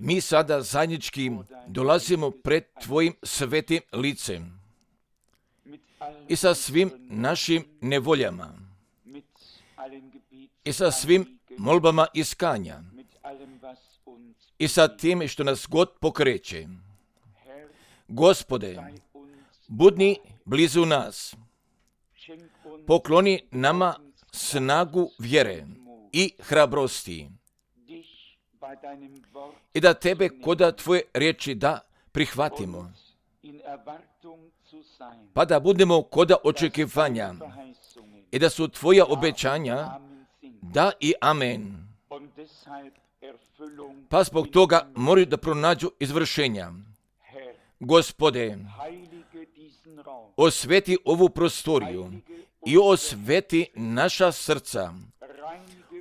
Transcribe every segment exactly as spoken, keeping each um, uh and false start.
Mi sada zajednički dolazimo pred Tvojim svetim licem i sa svim našim nevoljama i sa svim molbama iskanja i sa tim što nas god pokreće. Gospode, budni blizu nas, pokloni nama snagu vjere i hrabrosti i da Tebe koda Tvoje riječi da prihvatimo, pa da budemo koda očekivanja i da su Tvoja obećanja da i amen. Pa zbog toga moraju da pronađu izvršenja. Gospode, osveti ovu prostoriju i osveti naša srca,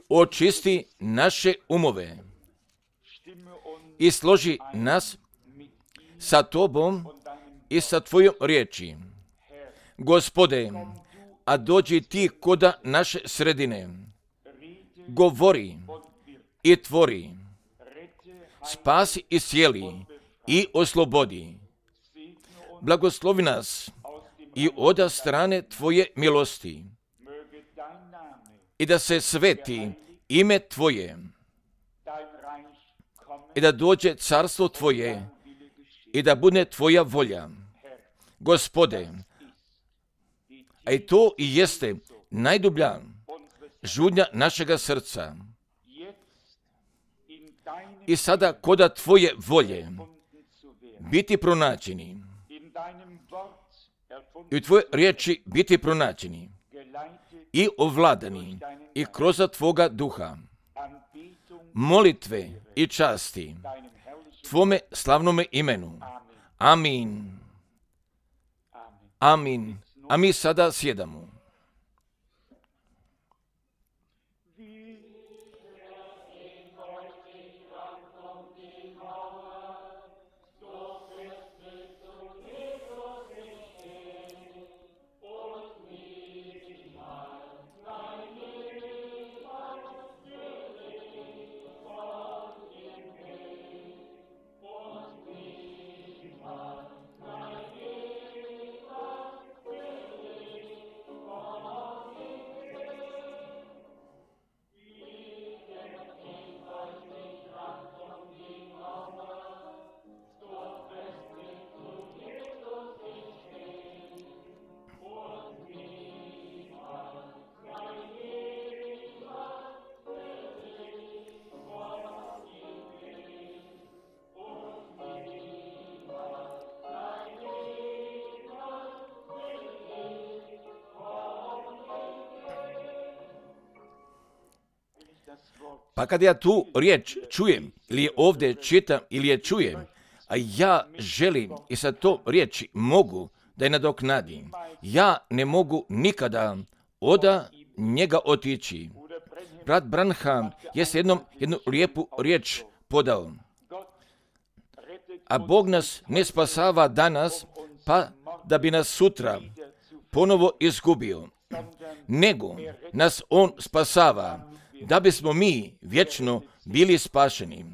očisti naše umove i složi nas sa Tobom i sa Tvojom riječi. Gospode, a dođi Ti koda naše sredine, govori i tvori, spasi i sjeli i oslobodi. Blagoslovi nas i oda strane Tvoje milosti i da se sveti ime Tvoje i da dođe carstvo Tvoje i da bude Tvoja volja. Gospode, a i to i jeste najdublja žudnja našega srca. I sada koda Tvoje volje biti pronađeni i u Tvoje riječi biti pronađeni i ovladani i kroz Tvoga duha, molitve i časti Tvome slavnome imenu. Amin. Amin. A mi sada sjedamo. Pa kad ja tu riječ čujem, ili je ovdje čitam, ili je čujem, a ja želim i sa to riječi mogu da je nadoknadim, ja ne mogu nikada oda njega otići. Brat Branham je s jednom jednu lijepu riječ podao. A Bog nas ne spasava danas, pa da bi nas sutra ponovo izgubio, nego nas On spasava, da bismo mi vječno bili spašeni.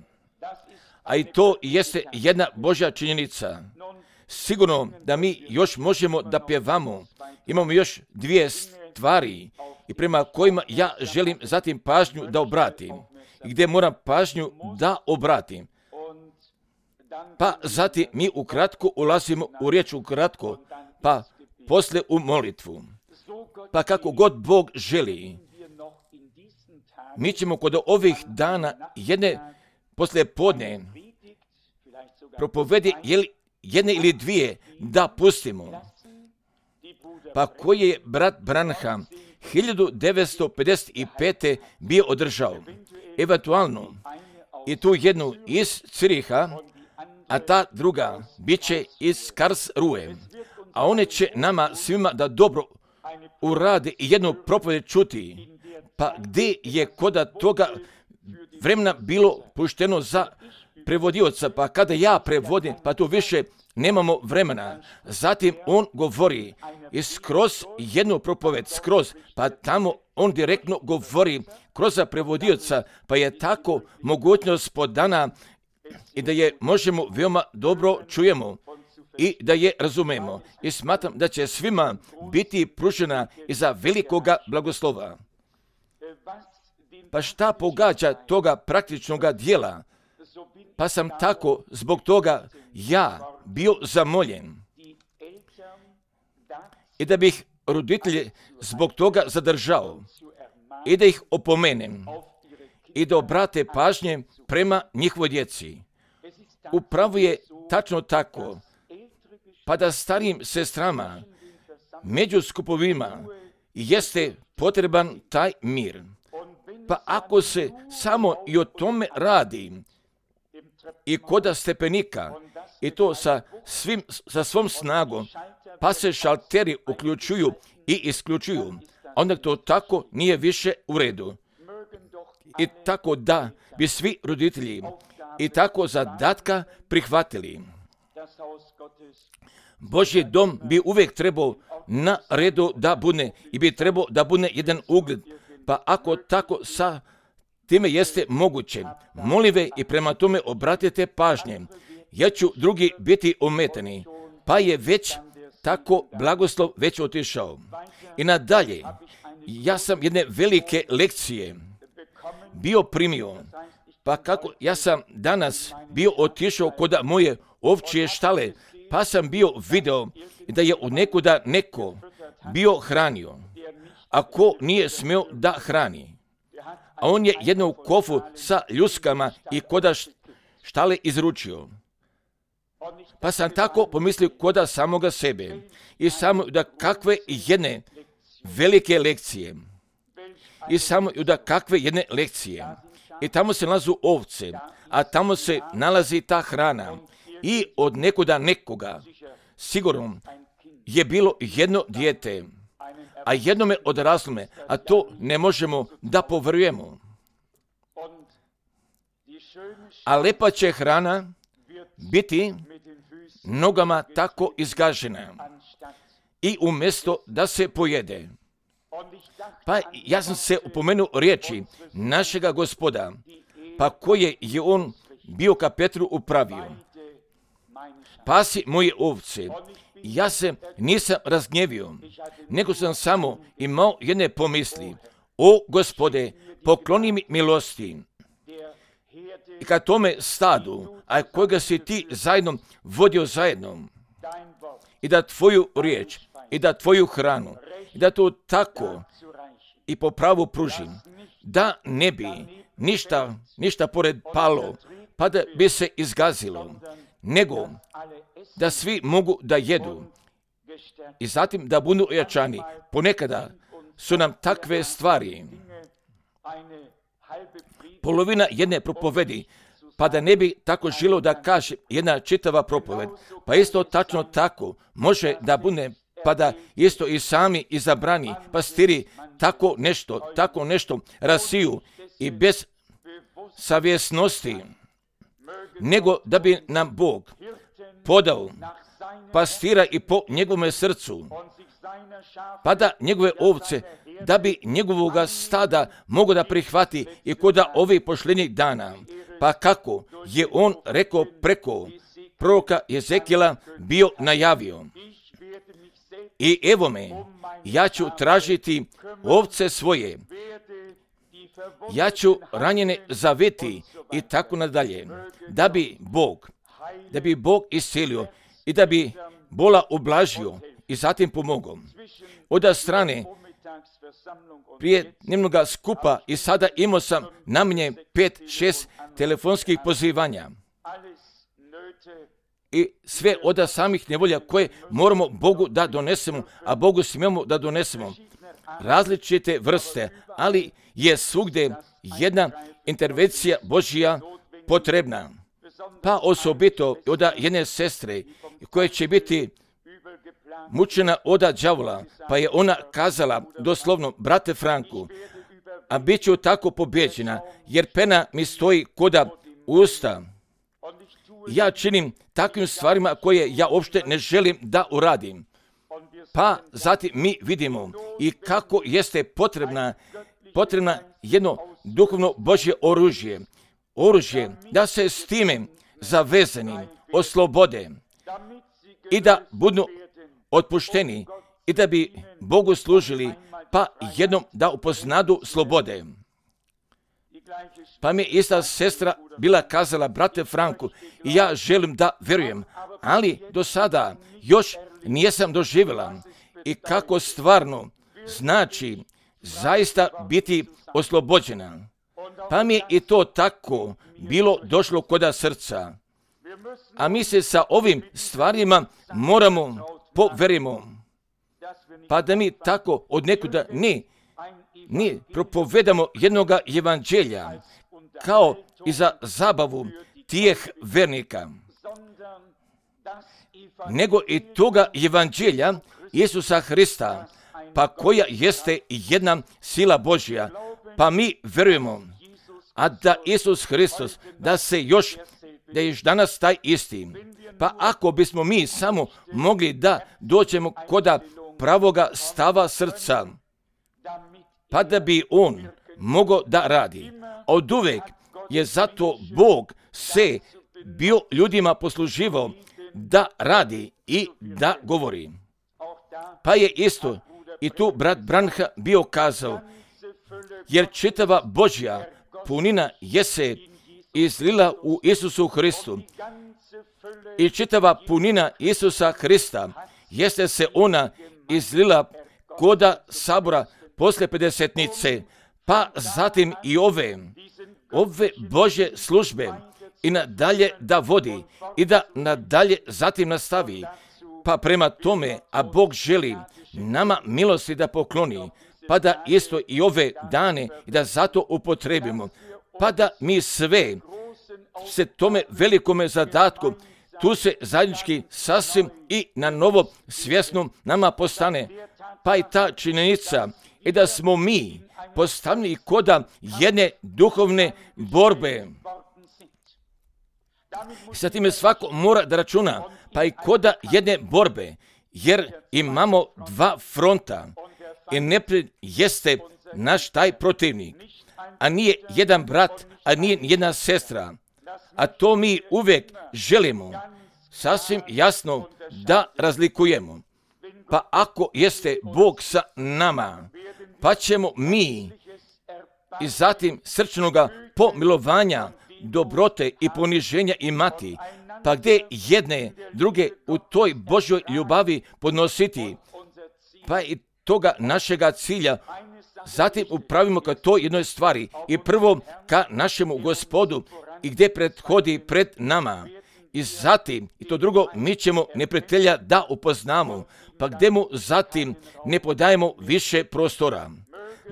A i to jeste jedna Božja činjenica. Sigurno da mi još možemo da pjevamo. Imamo još dvije stvari i prema kojima ja želim zatim pažnju da obratim. I gdje moram pažnju da obratim. Pa zatim mi ukratko ulazimo u riječ ukratko, pa poslije u molitvu. Pa kako god Bog želi, mi ćemo kod ovih dana jedne poslije podne propovedi jedne ili dvije da pustimo. Pa koji je brat Branham hiljadu devetsto pedeset pete. bio održao. Eventualno i tu jednu iz Ciriha, a ta druga bit će iz Karlsruhe. A one će nama svima da dobro urade i jednu propoved čuti. Pa gdje je koda toga vremena bilo pušteno za prevodioca, pa kada ja prevodim, pa tu više nemamo vremena. Zatim on govori i skroz jednu propoved, skroz, pa tamo on direktno govori kroz prevodioca, pa je tako mogućnost podana i da je možemo veoma dobro čujemo i da je razumemo. I smatram da će svima biti pružena iza velikoga blagoslova. Pa šta pogađa toga praktičnoga dijela? Pa sam tako zbog toga ja bio zamoljen i da bih roditelje zbog toga zadržao i da ih opomenem i da obrate pažnje prema njihovoj djeci. Upravo je tačno tako, pa da starijim sestrama među skupovima jeste potreban taj mir. Pa ako se samo i o tome radi i koda stepenika i to sa, svim, sa svom snagom, pa se šalteri uključuju i isključuju, onda to tako nije više u redu. I tako da bi svi roditelji i tako zadatka prihvatili. Božji dom bi uvijek trebao na redu da bude i bi trebao da bude jedan ugled. Pa ako tako sa time jeste moguće, molive i prema tome obratite pažnje. Ja ću drugi biti ometani, pa je već tako blagoslov već otišao. I nadalje, ja sam jedne velike lekcije bio primio, pa kako ja sam danas bio otišao kod moje ovčje štale, pa sam bio video da je od nekuda neko bio hranio, a ko nije smio da hrani. A on je jednu kofu sa ljuskama i koda štale izručio. Pa sam tako pomislio koda samoga sebe i samo da kakve jedne velike lekcije i samo da kakve jedne lekcije. I tamo se nalazu ovce, a tamo se nalazi ta hrana i od nekuda nekoga sigurno je bilo jedno dijete, a jednome odraslome, a to ne možemo da poverujemo. A lepa će hrana biti nogama tako izgažena i umjesto da se pojede. Pa ja sam se upomenuo riječi našega Gospoda, pa koje je on bio ka Petru upravio. Pasi moje ovce. Ja se nisam razgnjevio, nego sam samo imao jedne pomisli. O Gospode, pokloni mi milosti. I ka tome stadu, a kojega si ti zajedno vodio zajedno, i da tvoju riječ, i da tvoju hranu, i da to tako i po pravu pružim, da ne bi ništa, ništa pored palo, pa da bi se izgazilo, nego da svi mogu da jedu i zatim da budu ojačani. Ponekada su nam takve stvari polovina jedne propovedi, pa da ne bi tako žilo da kaže jedna čitava propoved. Pa isto tačno tako može da bude, pa da isto i sami izabrani pastiri tako nešto, tako nešto rasiju i bez savjesnosti, nego da bi nam Bog podao pastira i po njegovome srcu, pa da njegove ovce, da bi njegovoga stada mogo da prihvati i koda ovih pošljednjih dana. Pa kako je on rekao preko proroka Jezekijela bio najavio. I evo me, ja ću tražiti ovce svoje, ja ću ranjene zaviti i tako nadalje, da bi Bog, da bi Bog iscelio i da bi bola ublažio i zatim pomogao. Od strane prije dnevnoga skupa i sada imao sam na mnje pet, šest telefonskih pozivanja. I sve od samih nevolja koje moramo Bogu da donesemo, a Bogu smijemo da donesemo. Različite vrste, ali je svugdje jedna intervencija Božja potrebna. Pa osobito od jedne sestre koja će biti mučena od đavola, pa je ona kazala doslovno, brate Franku, a bit ću tako pobjeđena, jer pena mi stoji koda usta ja činim takvim stvarima koje ja uopšte ne želim da uradim. Pa zatim mi vidimo i kako jeste potrebna, potrebna jedno duhovno Božje oružje. Oružje da se s time zavezani oslobode i da budu otpušteni i da bi Bogu služili, pa jednom da upoznadu slobode. Pa mi je ista sestra bila kazala, brate Franku, i ja želim da verujem, ali do sada još nisam doživjela i kako stvarno znači zaista biti oslobođena. Pa mi je i to tako bilo došlo koda srca. A mi se sa ovim stvarima moramo poverimo. Pa da mi tako od nekuda ne, ne propovedamo jednoga evanđelja kao i za zabavu tijeh vernika, nego i toga evanđelja Isusa Hrista, pa koja jeste jedna sila Božja. Pa mi verujemo, a da Isus Hristos, da se još, da je još danas taj isti. Pa ako bismo mi samo mogli da dođemo koda pravoga stava srca, pa da bi on mogao da radi. Od uvek je zato Bog se bio ljudima posluživao da radi i da govori. Pa je isto i tu brat Branha bio kazao, jer čitava Božja punina je se izlila u Isusu Hristu. I čitava punina Isusa Hrista jeste se ona izlila koda sabora posle pedesetnice, pa zatim i ove, ove Božje službe i nadalje da vodi i da nadalje zatim nastavi. Pa prema tome, a Bog želi nama milosti da pokloni, pa da isto i ove dane i da zato upotrebimo, pa da mi sve se tome velikome zadatku tu se zajednički sasvim i na novo svjesno nama postane. Pa i ta činjenica i da smo mi postavljeni koda jedne duhovne borbe. Sa time svako mora da računa, pa i koda jedne borbe, jer imamo dva fronta i neprijatelj jeste naš taj protivnik, a nije jedan brat, a nije jedna sestra. A to mi uvijek želimo sasvim jasno da razlikujemo. Pa ako jeste Bog sa nama, pa ćemo mi i zatim srčnoga pomilovanja, dobrote i poniženja imati, pa gdje jedne druge u toj Božjoj ljubavi podnositi, pa i toga našega cilja zatim upravimo ka toj jednoj stvari i prvo ka našemu Gospodu i gdje prethodi pred nama. I zatim, i to drugo, mi ćemo neprijatelja da upoznamo, pa gdje mu zatim ne podajemo više prostora.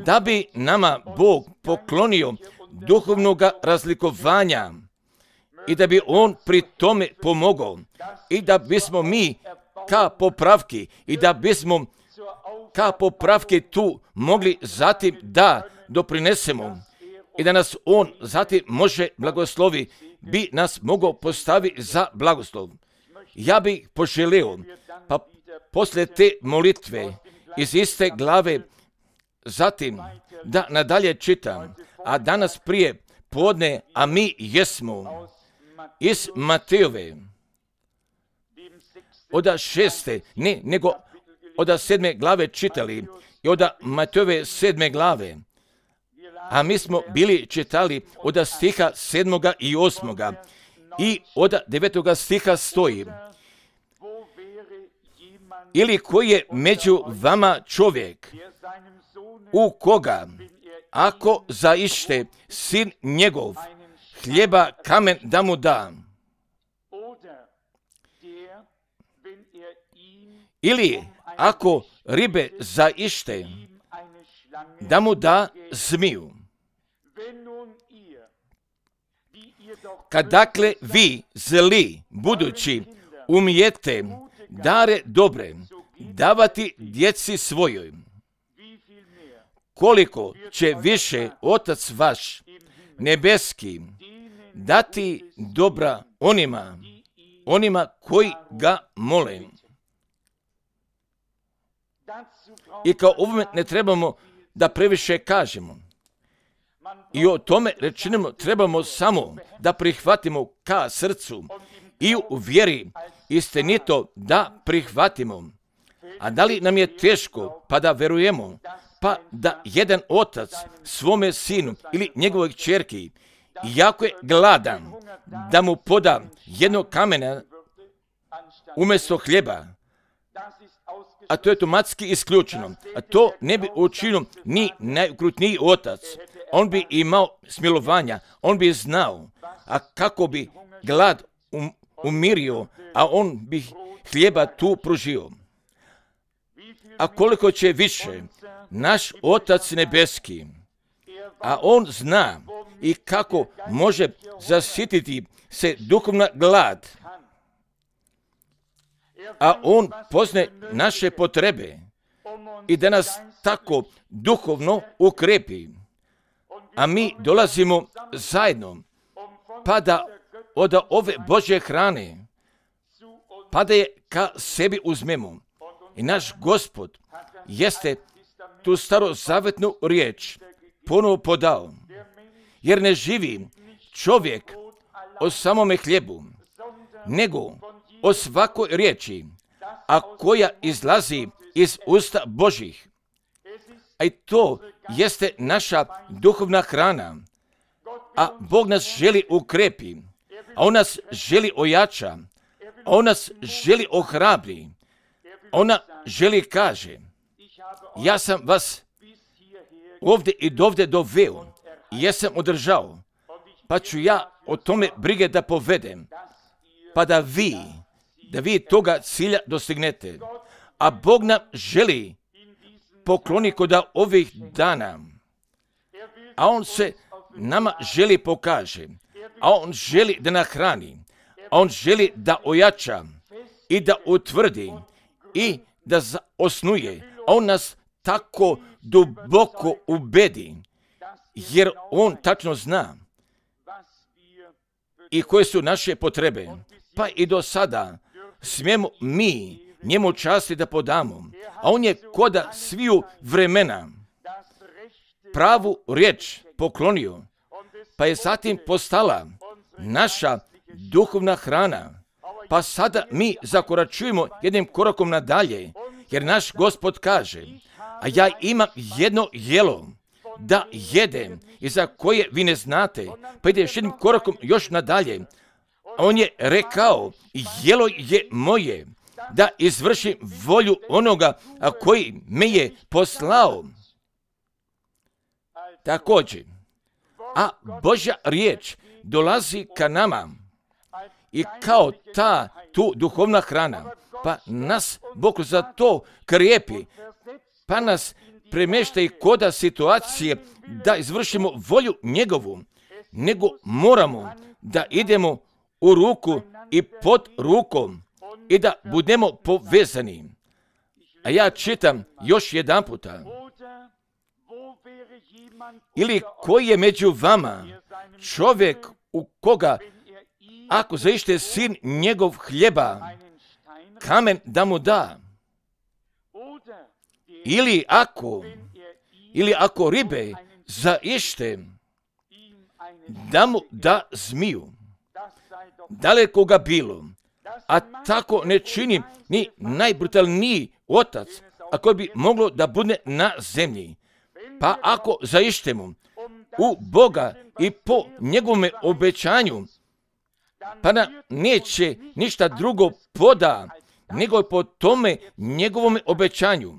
Da bi nama Bog poklonio duhovnog razlikovanja i da bi on pri tome pomogao i da bismo mi ka popravki i da bismo ka popravki tu mogli zatim da doprinesemo i da nas on zatim može blagoslovi, bi nas mogao postaviti za blagoslov. Ja bih poželio, pa posle te molitve iz iste glave zatim da nadalje čitam, a danas prije podne, a mi jesmo iz Matejove od šeste, ne, nego od sedme glave čitali i od Matejove sedme glave. A mi smo bili čitali od stiha sedmoga i osmoga i od devetoga stiha stoji. Ili koji je među vama čovjek u koga, ako zaište sin njegov hljeba kamen da mu da, ili ako ribe zaište da mu da zmiju. Kad dakle vi zli budući umijete dare dobre davati djeci svojoj, koliko će više Otac vaš nebeski dati dobra onima, onima koji ga mole. I kao ovome ne trebamo da previše kažemo. I o tome rečenimo trebamo samo da prihvatimo ka srcu i u vjeri istinito da prihvatimo. A da li nam je teško pa da verujemo, pa da jedan otac svome sinu ili njegovoj kćerki, jako je gladan, da mu poda jednog kamena umjesto hljeba, a to je automatski isključeno. A to ne bi učinio ni najukrutniji otac. On bi imao smilovanja, on bi znao, a kako bi glad um, umirio, a on bi hljeba tu pružio. A koliko će više naš Otac nebeski, a on zna i kako može zasititi se duhovna glad, a on poznaje naše potrebe i da nas tako duhovno ukrepi. A mi dolazimo zajedno, pa da od ove Božje hrane, pa da je ka sebi uzmemo. I naš Gospod jeste tu starozavetnu riječ ponovo podao, jer ne živi čovjek o samome hljebu, nego o svakoj riječi, a koja izlazi iz usta Božih. A i to jeste naša duhovna hrana. A Bog nas želi ukrepi, a on nas želi ojača, a on nas želi ohrabri. Ona želi kaže, ja sam vas ovdje i dovde doveo i jesam održao, pa ću ja o tome brige da povedem, pa da vi, da vi toga cilja dostignete. A Bog nam želi pokloni kod ovih dana, a on se nama želi pokaže, a on želi da nahrani, a on želi da ojača i da utvrdi i da osnuje. On nas tako duboko ubedi, jer on tačno zna i koje su naše potrebe. Pa i do sada smijemo mi njemu časti da podamo, a on je koda sviju vremena pravu riječ poklonio, pa je zatim postala naša duhovna hrana. Pa sada mi zakoračujemo jednim korakom nadalje, jer naš Gospod kaže, a ja imam jedno jelo da jedem i za koje vi ne znate, pa ide još jednim korakom još nadalje. On je rekao, jelo je moje, da izvršim volju onoga a koji me je poslao. Također, a Božja riječ dolazi ka nama i kao ta tu duhovna hrana, pa nas Bog za to krijepi, pa nas premješta i koda situacije da izvršimo volju njegovu, nego moramo da idemo u ruku i pod rukom i da budemo povezani. A ja čitam još jedan puta. Ili koji je među vama čovjek u koga, ako zaište sin njegov hljeba, kamen da mu da. Ili ako, ili ako ribe zaište, da mu da zmiju. Daleko ga bilo, a tako ne čini ni najbrutalniji otac, a koji bi moglo da bude na zemlji. Pa ako zaištemo u Boga i po njegovome obećanju, pa nam neće ništa drugo poda, nego po tome njegovome obećanju.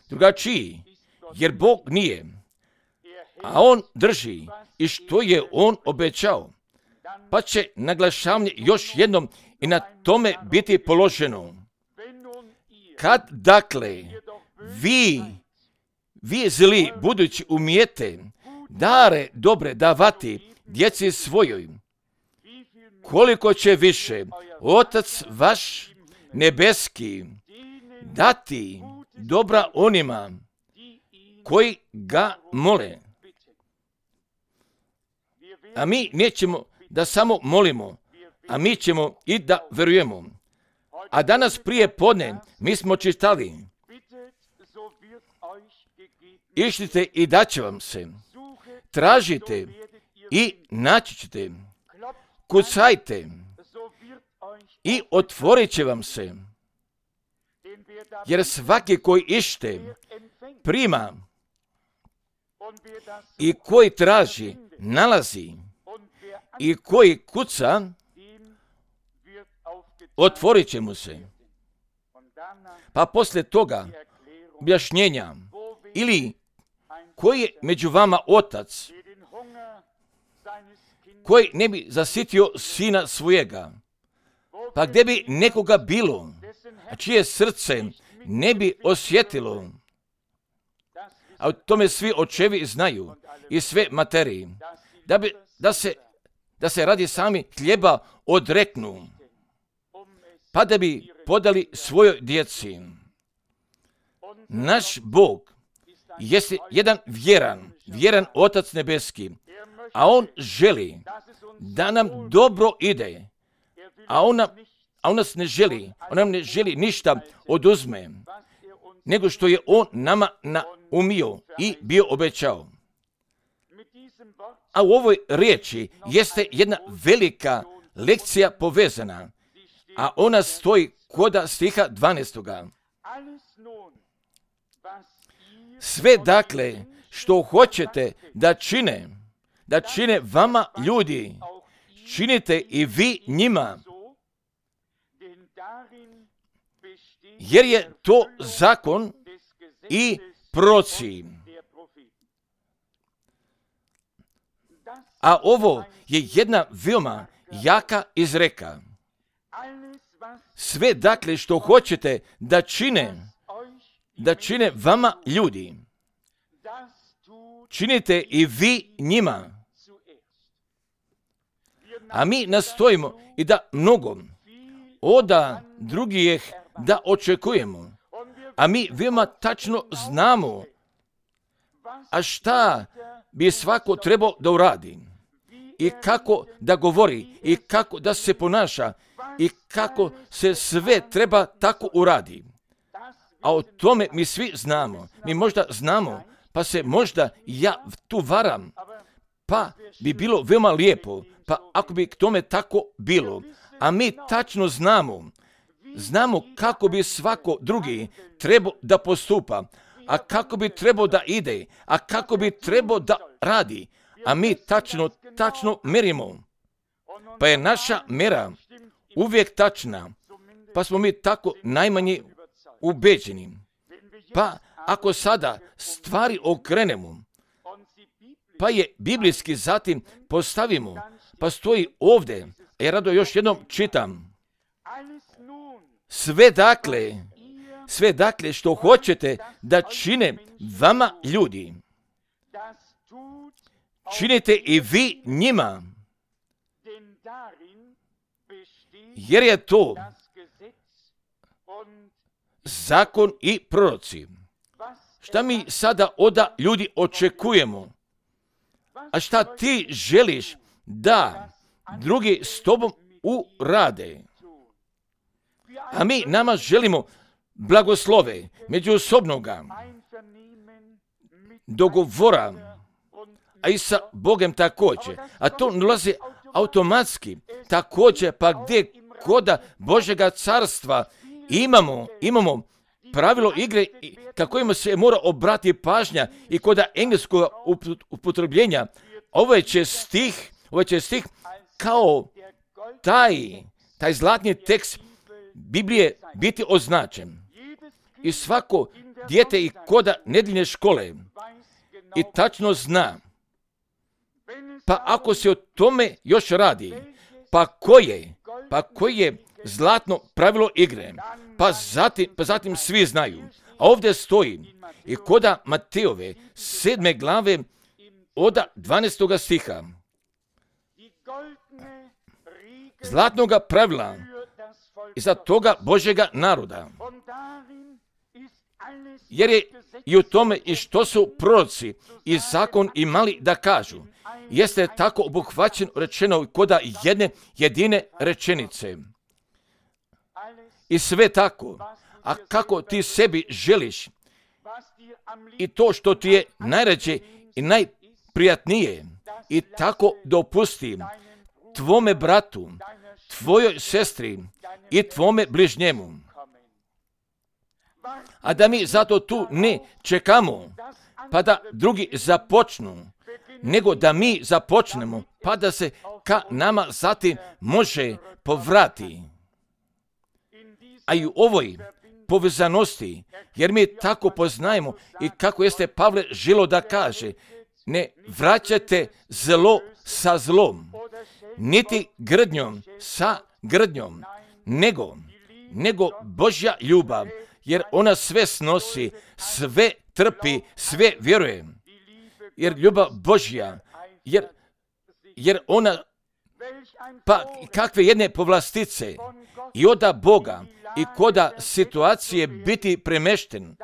Drugačiji, jer Bog nije, a on drži i što je on obećao, pa će naglašavanje još jednom i na tome biti položeno. Kad dakle vi, vi zli budući umijete dare dobre davati djeci svojoj, koliko će više Otac vaš nebeski dati dobra onima koji ga mole. A mi nećemo da samo molimo, a mi ćemo i da verujemo. A danas prije podne mi smo čitali: išlite i daće vam se, tražite i naći ćete, kucajte i otvorit će vam se. Jer svaki koji ište, prima, i koji traži, nalazi, i koji kuca, otvorit će mu se. Pa poslije toga objašnjenja, ili koji je među vama otac, koji ne bi zasitio sina svojega, pa gdje bi nekoga bilo, a čije srce ne bi osjetilo, a o tome svi očevi znaju i sve materiji, da, bi, da, se, da se radi sami hljeba odreknu, pa da bi podali svojoj djeci. Naš Bog jeste jedan vjeran, vjeran Otac nebeski, a On želi da nam dobro ide, a On, nam, a on nas ne želi, On nam ne želi ništa oduzme, nego što je On nama naumio i bio obećao. A u ovoj riječi jeste jedna velika lekcija povezana, a ona stoji koda stiha dvanaestoga. Sve dakle što hoćete da čine, da čine vama ljudi, činite i vi njima, jer je to zakon i proroci. A ovo je jedna veoma jaka izreka. Sve dakle što hoćete da čine, da čine vama ljudi, činite i vi njima. A mi nastojimo i da mnogo oda drugih da očekujemo. A mi veoma tačno znamo, a šta bi svako trebao da uradi, i kako da govori, i kako da se ponaša, i kako se sve treba tako uradi. A o tome mi svi znamo. Mi možda znamo, pa se možda ja tu varam, pa bi bilo veoma lijepo, pa ako bi k tome tako bilo. A mi tačno znamo, znamo kako bi svako drugi trebao da postupa, a kako bi trebao da ide, a kako bi trebao da radi. A mi tačno, tačno merimo. Pa je naša mera uvijek tačna, pa smo mi tako najmanje ubeđeni. Pa ako sada stvari okrenemo, pa je biblijski zatim postavimo, pa stoji ovdje, a ja rado još jednom čitam. Sve dakle, sve dakle što hoćete da čine vama ljudi, činite i vi njima, jer je to zakon i proroci. Šta mi sada oda ljudi očekujemo? A šta ti želiš da drugi s tobom urade? A mi nama želimo blagoslove, međusobnoga dogovora, a i sa Bogom također. A to nalazi automatski također, pa gdje koda Božjega carstva imamo, imamo pravilo igre kako ima se mora obrati pažnja i koda engleskog upotrebljenja. Ovaj će stih, ovaj će stih kao taj, taj zlatni tekst Biblije biti označen. I svako dijete i koda nedeljne škole i tačno zna. Pa ako se o tome još radi, pa koje, pa koje je zlatno pravilo igre, pa zatim, pa zatim svi znaju. A ovdje stoji i koda Matejove sedme glave od dvanaestoga stiha. Zlatnoga pravila i za toga Božjega naroda. jer je i u tome i što su proroci i zakon imali da kažu, jeste tako obuhvaćen rečeno koda jedne jedine rečenice. I sve tako, a kako ti sebi želiš i to što ti je najrađe i najprijatnije i tako dopusti tvome bratu, tvojoj sestri i tvome bližnjemu. A da mi zato tu ne čekamo, pa da drugi započnu, nego da mi započnemo, pa da se ka nama zatim može povrati. A i u ovoj povezanosti, jer mi tako poznajemo i kako jeste Pavle želo da kaže, ne vraćate zlo sa zlom, niti grdnjom sa grdnjom, nego, nego Božja ljubav, jer ona sve snosi, sve trpi, sve vjeruje. Jer ljubav Božja, jer, jer ona, pa kakve jedne povlastice i oda Boga i koda situacije biti premešten,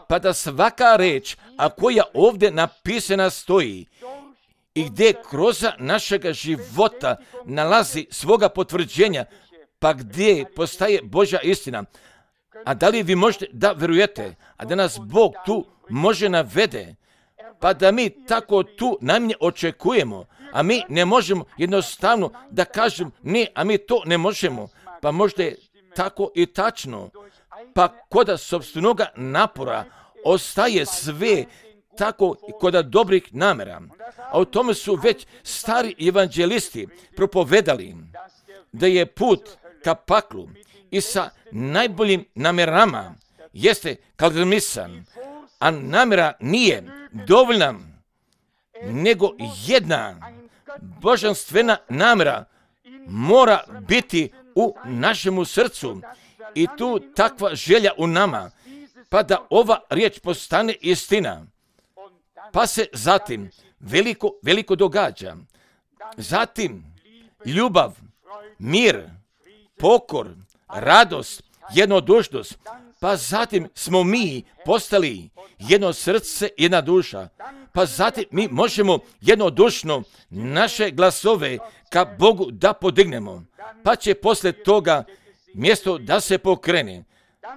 pa da svaka reč, a koja ovdje napisana stoji i gdje kroz našega života nalazi svoga potvrđenja, pa gdje postaje Božja istina. A da li vi možete da verujete, a da nas Bog tu može navede, pa da mi tako tu najmanje očekujemo, a mi ne možemo jednostavno da kažem ne, a mi to ne možemo, pa možda je tako i tačno, pa koda sopstvenoga napora ostaje sve tako i koda dobrih namera. A u tome su već stari evanđelisti propovedali da je put ka paklu i sa najboljim namjerama jeste kalmisan, a namjera nije dovoljna, nego jedna božanstvena namjera mora biti u našemu srcu i tu takva želja u nama, pa da ova riječ postane istina. Pa se zatim veliko, veliko događa. Zatim ljubav, mir, pokor, radost, jednodušnost, pa zatim smo mi postali jedno srce, jedna duša, pa zatim mi možemo jednodušno naše glasove ka Bogu da podignemo, pa će poslije toga mjesto da se pokrene,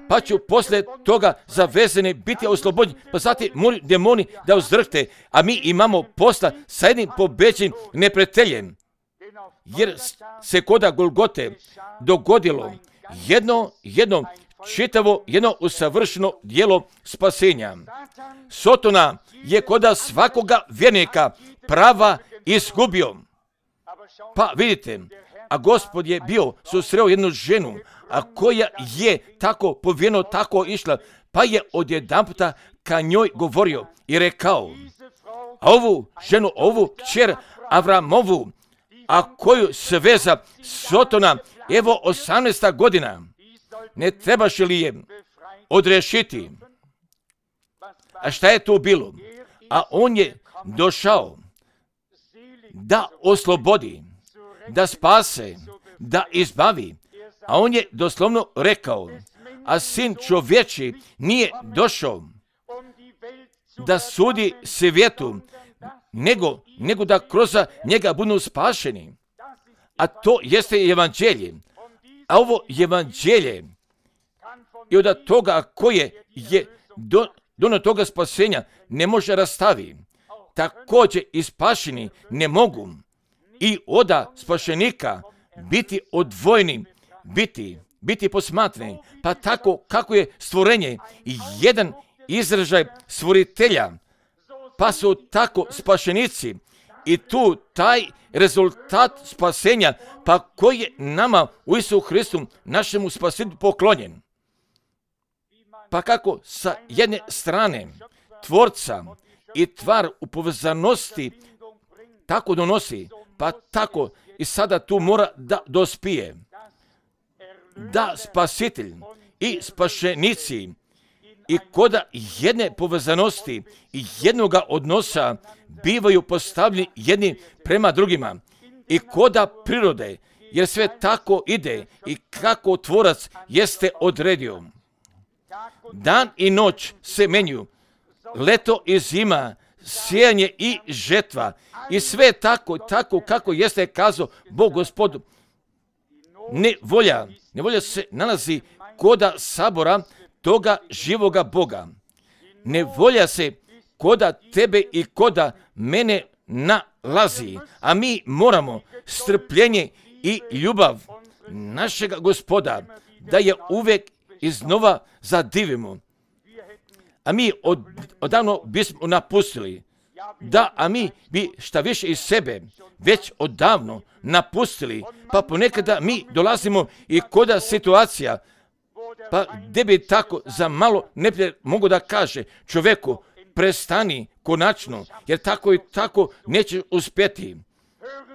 pa će poslije toga zavezani biti oslobođeni, pa zatim moraju demoni da uzdrhte, a mi imamo posla sa jednim pobeđenim neprijateljem, jer se koda Golgote dogodilo jedno, jedno čitavo, jedno usavršeno djelo spasenja. Sotona je koda svakoga vjernika prava izgubio. Pa vidite, a Gospod je bio susreo jednu ženu, a koja je tako povijeno, tako išla, pa je odjedanputa ka njoj govorio i rekao, a ovu ženu, ovu kćer Avramovu, a koju sveza Sotona, evo osamnaesta godina, ne trebaš li je odrešiti? A šta je to bilo? A on je došao da oslobodi, da spase, da izbavi. A on je doslovno rekao, a sin čovječi nije došao da sudi svijetu, nego, nego da kroz njega budu spašeni. A to jeste evanđelje. A ovo evanđelje i od toga koje je do, do toga spasenja ne može rastavi. Također i spašeni ne mogu i oda spašenika biti odvojeni, biti, biti posmatrani. Pa tako kako je stvorenje jedan izražaj stvoritelja, pa su tako spašenici i tu taj rezultat spasenja, pa koji je nama u Isusu Hristu, našemu spasitelju poklonjen. Pa kako sa jedne strane tvorca i tvar u povezanosti tako donosi, pa tako i sada tu mora da dospije. Da spasitelj i spašenici i koda jedne povezanosti i jednoga odnosa bivaju postavljeni jedni prema drugima i koda prirode, jer sve tako ide i kako tvorac jeste odredio. Dan i noć se menju, leto i zima, sijanje i žetva. I sve tako, tako kako jeste kazao Bog Gospodu. Nevolja, nevolja se nalazi koda sabora toga živoga Boga. Nevolja se koda tebe i koda mene nalazi, a mi moramo strpljenje i ljubav našega Gospoda da je uvijek iznova zadivimo. A mi od, odavno bismo napustili, da, a mi bi šta više iz sebe već odavno napustili, pa ponekada mi dolazimo i koda situacija, pa gdje bi tako za malo neprijatelj mogu da kaže čovjeku, prestani konačno, jer tako i tako neće uspjeti.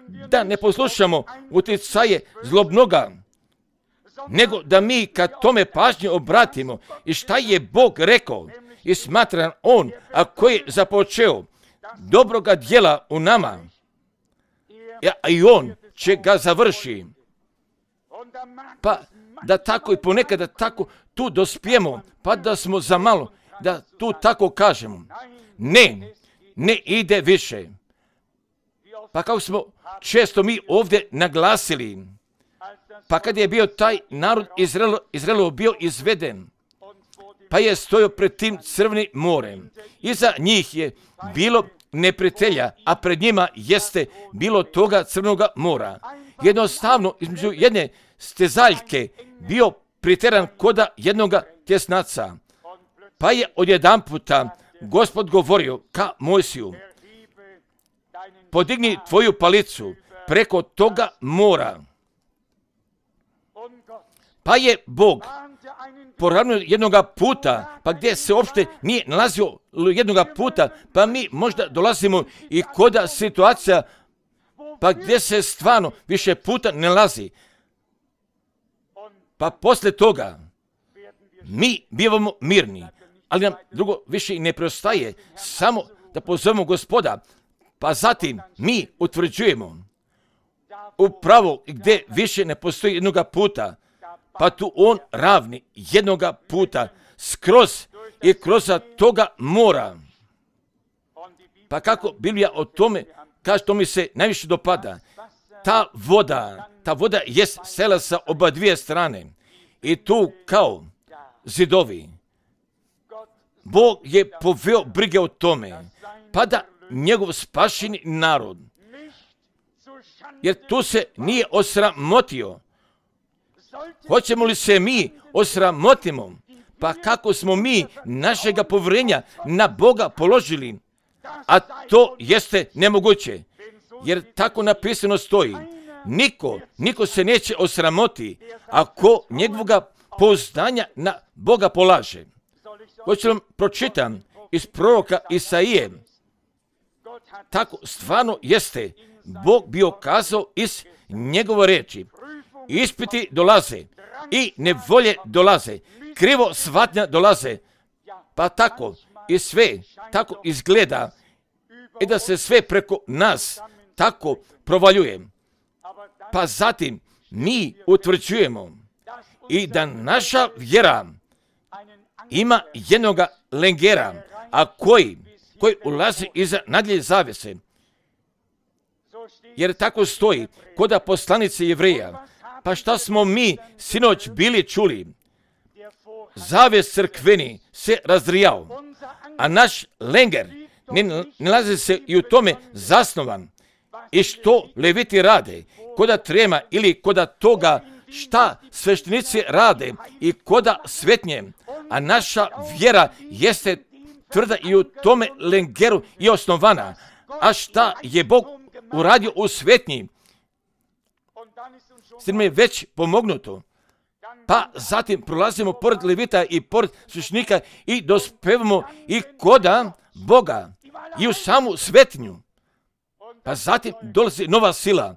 Da ne poslušamo utjecaje zlobnoga, nego da mi kad tome pažnje obratimo i šta je Bog rekao i smatra on, a koji je započeo dobroga djela u nama, a i on će ga završi. Pa da tako i ponekada tako tu dospijemo, pa da smo za malo, da tu tako kažemo, ne, ne ide više. Pa kako smo često mi ovdje naglasili, pa kad je bio taj narod Izraelo, Izraelo bio izveden, pa je stojao pred tim crvenim morem. Iza njih je bilo neprijatelja, a pred njima jeste bilo toga crvenoga mora. Jednostavno, između jedne stezaljke bio priteran koda jednoga tjesnaca. Pa je odjedan puta Gospod govorio ka Mojsiju, podigni tvoju palicu preko toga mora. Pa je Bog poravnio jednoga puta, pa gdje se uopšte nije nalazio jednoga puta, pa mi možda dolazimo i koda situacija, pa gdje se stvarno više puta ne nalazi. Pa poslije toga mi bivamo mirni, ali nam drugo više i ne preostaje, samo da pozovemo Gospoda, pa zatim mi utvrđujemo upravo gdje više ne postoji jednoga puta, pa tu on ravni jednoga puta skroz i kroz toga mora. Pa kako Biblija o tome kaže, to mi se najviše dopada. Ta voda, ta voda jest sela sa oba dvije strane i tu kao zidovi. Bog je poveo brige o tome, pa da njegov spašeni narod, jer tu se nije osramotio. Hoćemo li se mi osramotimo? Pa kako smo mi našega povjerenja na Boga položili? A to jeste nemoguće, jer tako napisano stoji. Niko, niko se neće osramoti ako njegovoga pouzdanja na Boga polaže. Hoću vam pročitam iz proroka Isaije. Tako stvarno jeste. Bog bio kazao iz njegove reči. Ispiti dolaze i nevolje dolaze, krivo shvatnja dolaze, pa tako i sve tako izgleda i da se sve preko nas tako provaljuje. Pa zatim mi utvrđujemo i da naša vjera ima jednoga lengera, a koji, koji ulazi iza nadlje zavese. Jer tako stoji koda poslanice Jevreja. Pa šta smo mi sinoć bili čuli? Zaves crkveni se razrijao, a naš lenger ne nalazi se i u tome zasnovan. I što leviti rade, koda trema ili koda toga šta sveštenici rade i koda svetnje, a naša vjera jeste tvrda i u tome lengeru i osnovana. A šta je Bog uradio u svetnji? S tim je već pomognuto. Pa zatim prolazimo pored levita i pored sveštnika i dospevamo i koda Boga i u samu svetinju. Pa zatim dolazi nova sila.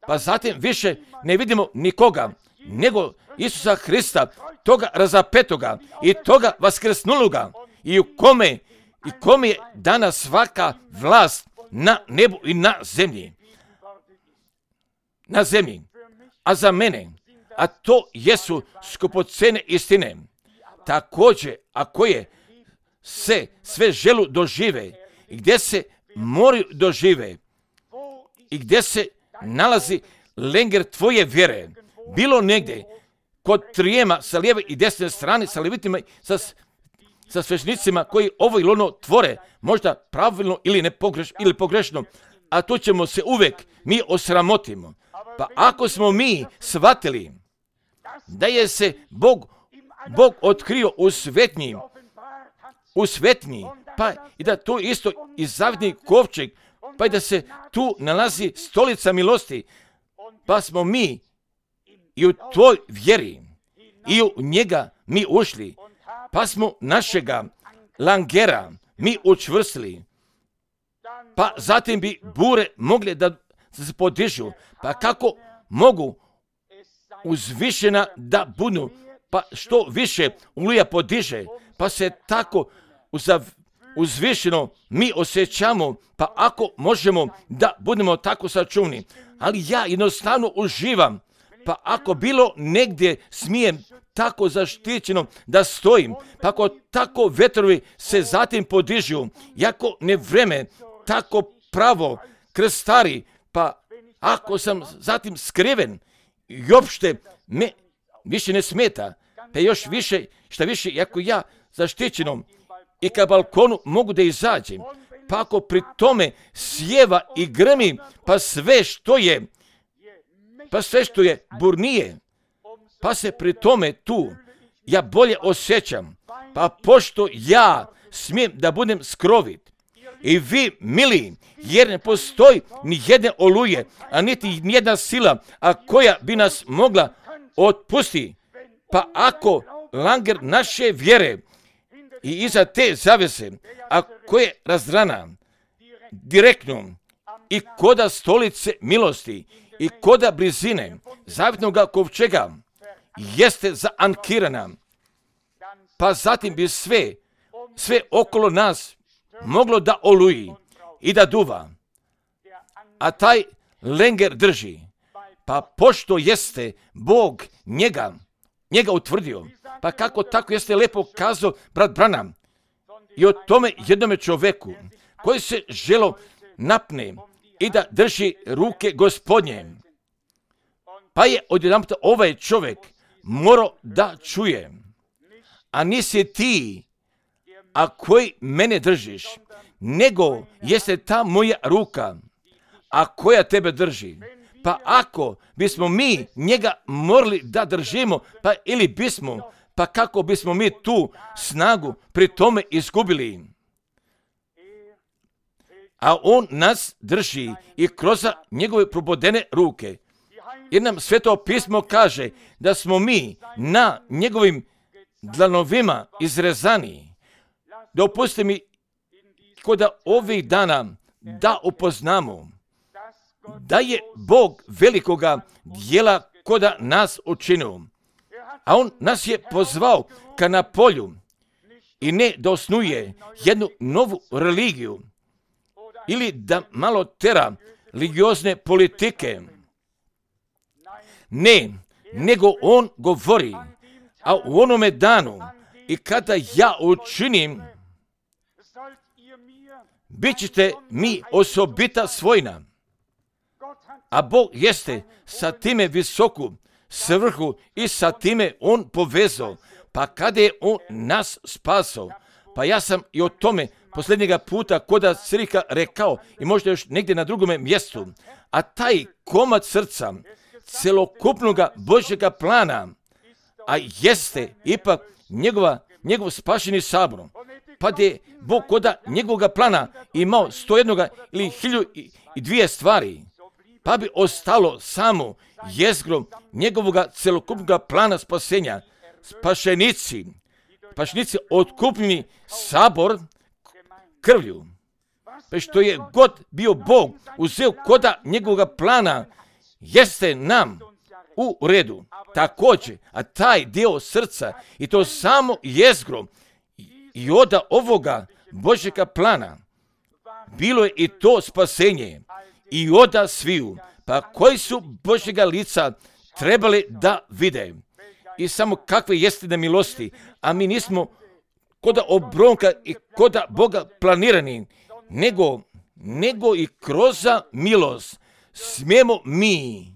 Pa zatim više ne vidimo nikoga, nego Isusa Hrista, toga razapetoga i toga vaskrsnuloga i u kome, i kome je dana svaka vlast na nebu i na zemlji. Na zemlji. A za mene, a to jesu skupocene istine, također, ako je se sve želu dožive i gdje se moraju dožive i gdje se nalazi lenger tvoje vjere, bilo negdje kod trijema sa lijeve i desne strane, sa levitima, sa, sa svešnicima koji ovo ili ono tvore, možda pravilno ili, ne pogreš, ili pogrešno, a to ćemo se uvijek mi osramotimo. Pa ako smo mi shvatili da je se Bog, Bog otkrio u svetnji, u svetnji, pa i da to isto i zavjetni kovčeg, pa i da se tu nalazi stolica milosti, pa smo mi i u toj vjeri i u njega mi ušli, pa smo našega langera mi učvrstili, pa zatim bi bure mogle da se podižu, pa kako mogu uzvišena da budu, pa što više oluja podiže, pa se tako uzav, uzvišeno mi osjećamo, pa ako možemo da budemo tako sačuvni, ali ja jednostavno uživam, pa ako bilo negdje smijem tako zaštićeno da stojim, pa ako tako vetrovi se zatim podižu, jako ne vreme tako pravo krstari, pa ako sam zatim skriven i uopšte me više ne smeta, pa još više, šta više, ako ja zaštićenom i ka balkonu mogu da izađem, pa ako pri tome sjeva i grmi, pa sve što je, pa sve što je burnije, pa se pri tome tu ja bolje osjećam, pa pošto ja smijem da budem skrovit, i vi, mili, jer ne postoji ni jedne oluje, a niti nijedna sila, a koja bi nas mogla otpustiti, pa ako langer naše vjere i iza te zavese, a koje razdrana direktno i koda stolice milosti i koda blizine zavjetnog kovčega jeste zaankirana, pa zatim bi sve, sve okolo nas moglo da oluji i da duva, a taj lenger drži, pa pošto jeste Bog njega, njega utvrdio, pa kako tako jeste lepo kazao brat Branham i o tome jednome čoveku koji se želo napne i da drži ruke Gospodnje, pa je odjedanput ovaj čovjek morao da čuje, a nisi ti, a koji mene držiš, nego jeste ta moja ruka, a koja tebe drži. Pa ako bismo mi njega morali da držimo, pa ili bismo, pa kako bismo mi tu snagu pri tome izgubili. A on nas drži i kroz njegove probodene ruke. Jer nam Sveto pismo kaže da smo mi na njegovim dlanovima izrezani. Dopustite mi kod ovih dana da upoznamo da je Bog velikoga dijela koda nas učinio. A on nas je pozvao ka na polju i ne da osnuje jednu novu religiju ili da malo tera religiozne politike. Ne, nego on govori, a u onome danu i kada ja učinim, bit ćete mi osobita svojina. A Bog jeste sa time visoku svrhu i sa time on povezao. Pa kada je on nas spasao, pa ja sam i o tome posljednjega puta koda Crika rekao i možda još negdje na drugome mjestu, a taj komad srca celokupnoga Božjega plana, a jeste ipak njegova, njegov spašeni sabor, pa da je Bog koda njegovoga plana imao sto jednoga ili hilju i dvije stvari, pa bi ostalo samo jezgro njegovoga celokupnoga plana spasenja, spašenici, spašenici otkupljeni sabor krvlju. Pa što je god bio Bog uzeo koda njegovoga plana, jeste nam u redu. Također, a taj dio srca i to samo jezgro i oda ovoga Božjega plana, bilo je i to spasenje i oda sviju, pa koji su Božjega lica trebali da vide i samo kakve jeste da milosti, a mi nismo koda obronka i koda Boga planirani, nego, nego i kroz milost smijemo mi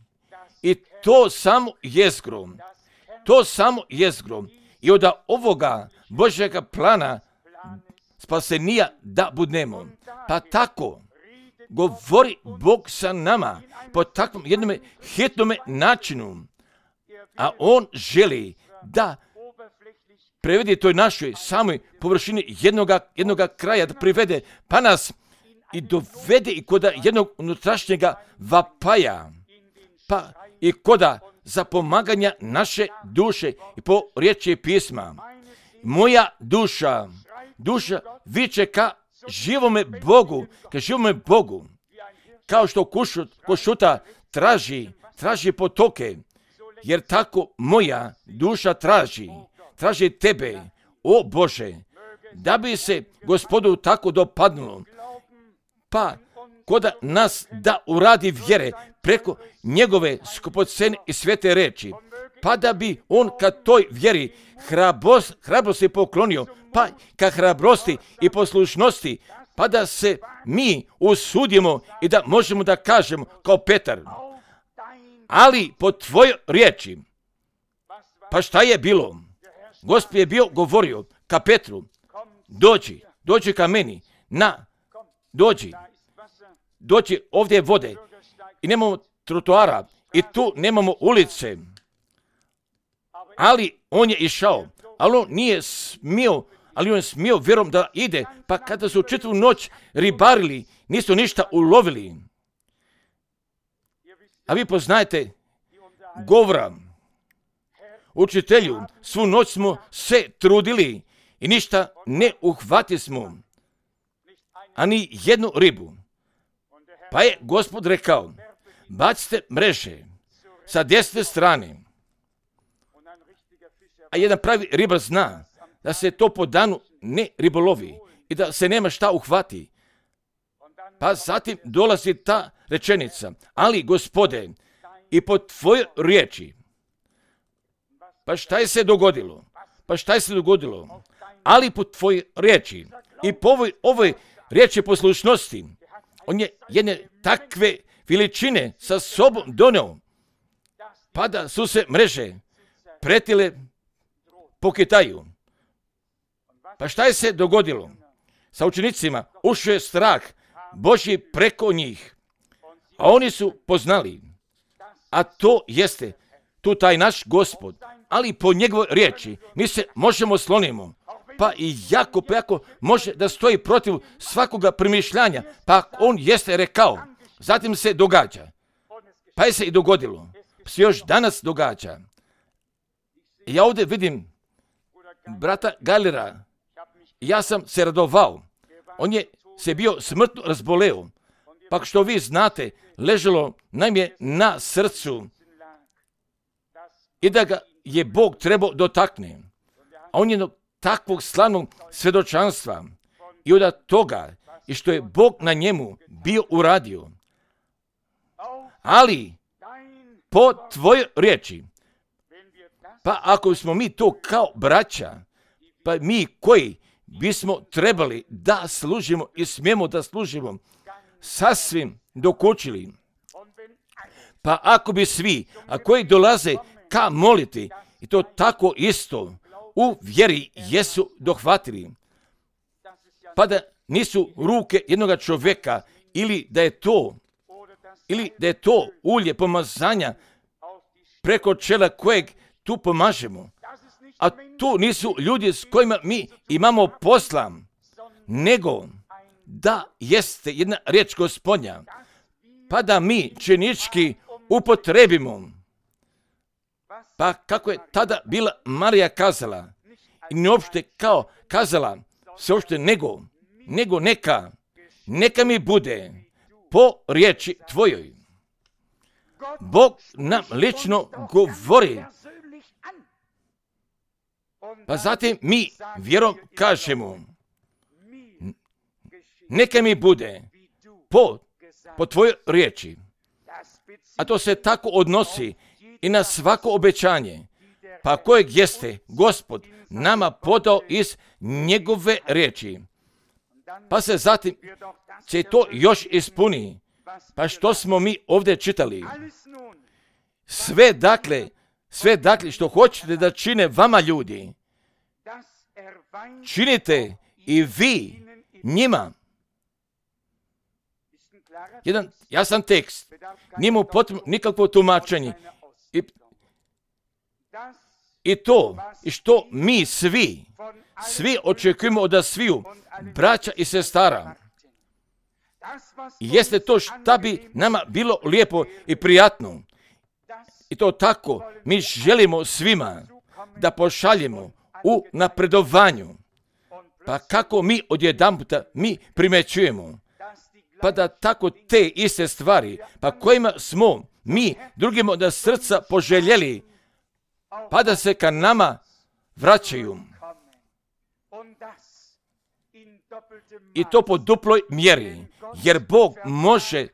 i to samo jezgro, to samo jezgro i od ovoga Božjega plana spasenija da budemo. Pa tako govori Bog sa nama po takvom jednom hitnom načinu, a On želi da prevede toj našoj samoj površini jednoga, jednoga kraja, da privede, pa nas i dovede i koda jednog unutrašnjega vapaja, pa i koda zapomaganja naše duše i po riječi pisma. Moja duša, duša viče ka živome Bogu, ka živome Bogu, kao što kušut, košuta traži, traži potoke, jer tako moja duša traži, traži tebe, o Bože, da bi se Gospodu tako dopadnulo, pa koda nas da uradi vjere preko njegove skupocene i svete reči, pa da bi on ka toj vjeri hrabrost, hrabrosti poklonio, pa ka hrabrosti i poslušnosti, pa da se mi usudimo i da možemo da kažemo kao Petar, ali po tvojoj riječi. Pa šta je bilo? Gospod je bio govorio ka Petru, dođi, dođi ka meni, na, dođi, dođi, ovdje je vode i nemamo trotoara i tu nemamo ulice, ali on je išao, ali on nije smio, ali on je smio vjerom da ide, pa kada su čitavu noć ribarili, nisu ništa ulovili. A vi poznajete govora, učitelju, svu noć smo se trudili i ništa ne uhvati smo, ani jednu ribu. Pa je Gospod rekao, bacite mreže sa desne strane. A jedan pravi ribar zna da se to po danu ne ribolovi i da se nema šta uhvati. Pa zatim dolazi ta rečenica, ali Gospode, i po tvojoj riječi. Pa šta je se dogodilo? Pa šta je se dogodilo? Ali po tvojoj riječi i po ovoj, ovoj riječi poslušnosti, on je jedne takve veličine sa sobom doneo, pa da su se mreže pretile po Kitaju. Pa šta je se dogodilo? Sa učenicima ušao je strah Božji preko njih, a oni su poznali, a to jeste tu taj naš Gospod, ali po njegovoj riječi mi se možemo slonimo, pa i jako, pa jako može da stoji protiv svakoga premišljanja, pa on jeste rekao, zatim se događa, pa je se i dogodilo, se još danas događa. Ja ovdje vidim brata Galera, ja sam se radovao, on je se bio smrtno razboleo, pa što vi znate, ležalo nam je na srcu i da ga je Bog trebao dotakne. A on je takvog slavnog svjedočanstva i od toga i što je Bog na njemu bio uradio. Ali po tvojoj riječi, pa ako smo mi to kao braća, pa mi koji bismo trebali da služimo i smijemo da služimo, sasvim dokučili. Pa ako bi svi, a koji dolaze ka moliti, i to tako isto u vjeri jesu dohvatili, pa da nisu ruke jednoga čovjeka, ili da je to, ili da je to ulje pomazanja preko čela kojeg tu pomažemo, a tu nisu ljudi s kojima mi imamo posla, nego da jeste jedna riječ Gospodnja, pa da mi činički upotrebimo. Pa kako je tada bila Marija kazala, i ne uopšte kao kazala, se uopšte nego, nego neka, neka mi bude po riječi tvojoj. Bog nam lično govori, pa zatim mi vjerom kažemo, neka mi bude po, po tvojoj riječi. A to se tako odnosi i na svako obećanje, pa kojeg jeste Gospod nama podao iz njegove riječi. Pa se zatim će to još ispuni. Pa što smo mi ovdje čitali? Sve dakle, sve dakle što hoćete da čine vama ljudi, činite i vi njima. Jedan jasan tekst, nije mu potrebno nikakvo tumačenje. I, I to, i što mi svi, svi očekujemo od sviju, braća i sestara, jeste to šta bi nama bilo lijepo i prijatno. I to tako mi želimo svima da pošaljemo u napredovanju. Pa kako mi odjedanputa mi primećujemo, pa da tako te iste stvari, pa kojima smo mi drugima da srca poželjeli, pa da se ka nama vraćaju. I to po duploj mjeri, jer Bog može,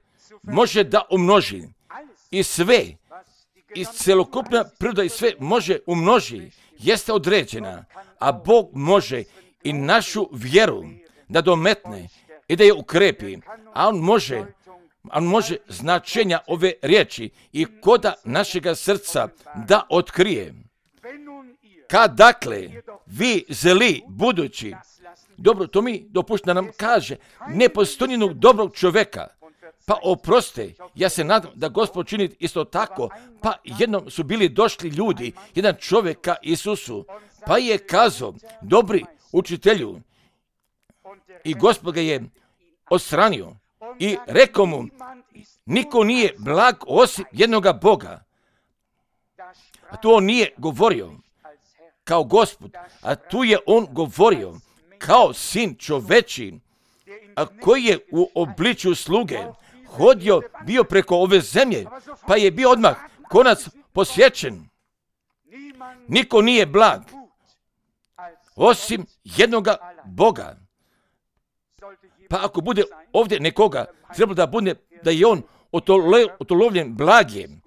može da umnoži i sve, i celokupna priroda i sve može umnoži, jeste određena, a Bog može i našu vjeru da dometne i da je ukrepi, a On može, on može značenja ove riječi i koda našega srca da otkrije. Kad dakle vi zli budući, dobro, to mi dopušta da nam kaže, ne postoji jednog dobrog čovjeka, pa oproste, ja se nadam da Gospod čini isto tako, pa jednom su bili došli ljudi, jedan čovjek ka Isusu, pa je kazao, dobri učitelju, i Gospod ga je odstranio i rekao mu, niko nije blag osim jednoga Boga. A tu on nije govorio kao Gospod, a tu je on govorio kao sin čoveči, a koji je u obličju sluge hodio, bio preko ove zemlje, pa je bio odmah konac posjećen. Niko nije blag osim jednoga Boga. Pa ako bude ovdje nekoga, treba da bude da je on otolovljen blagjem.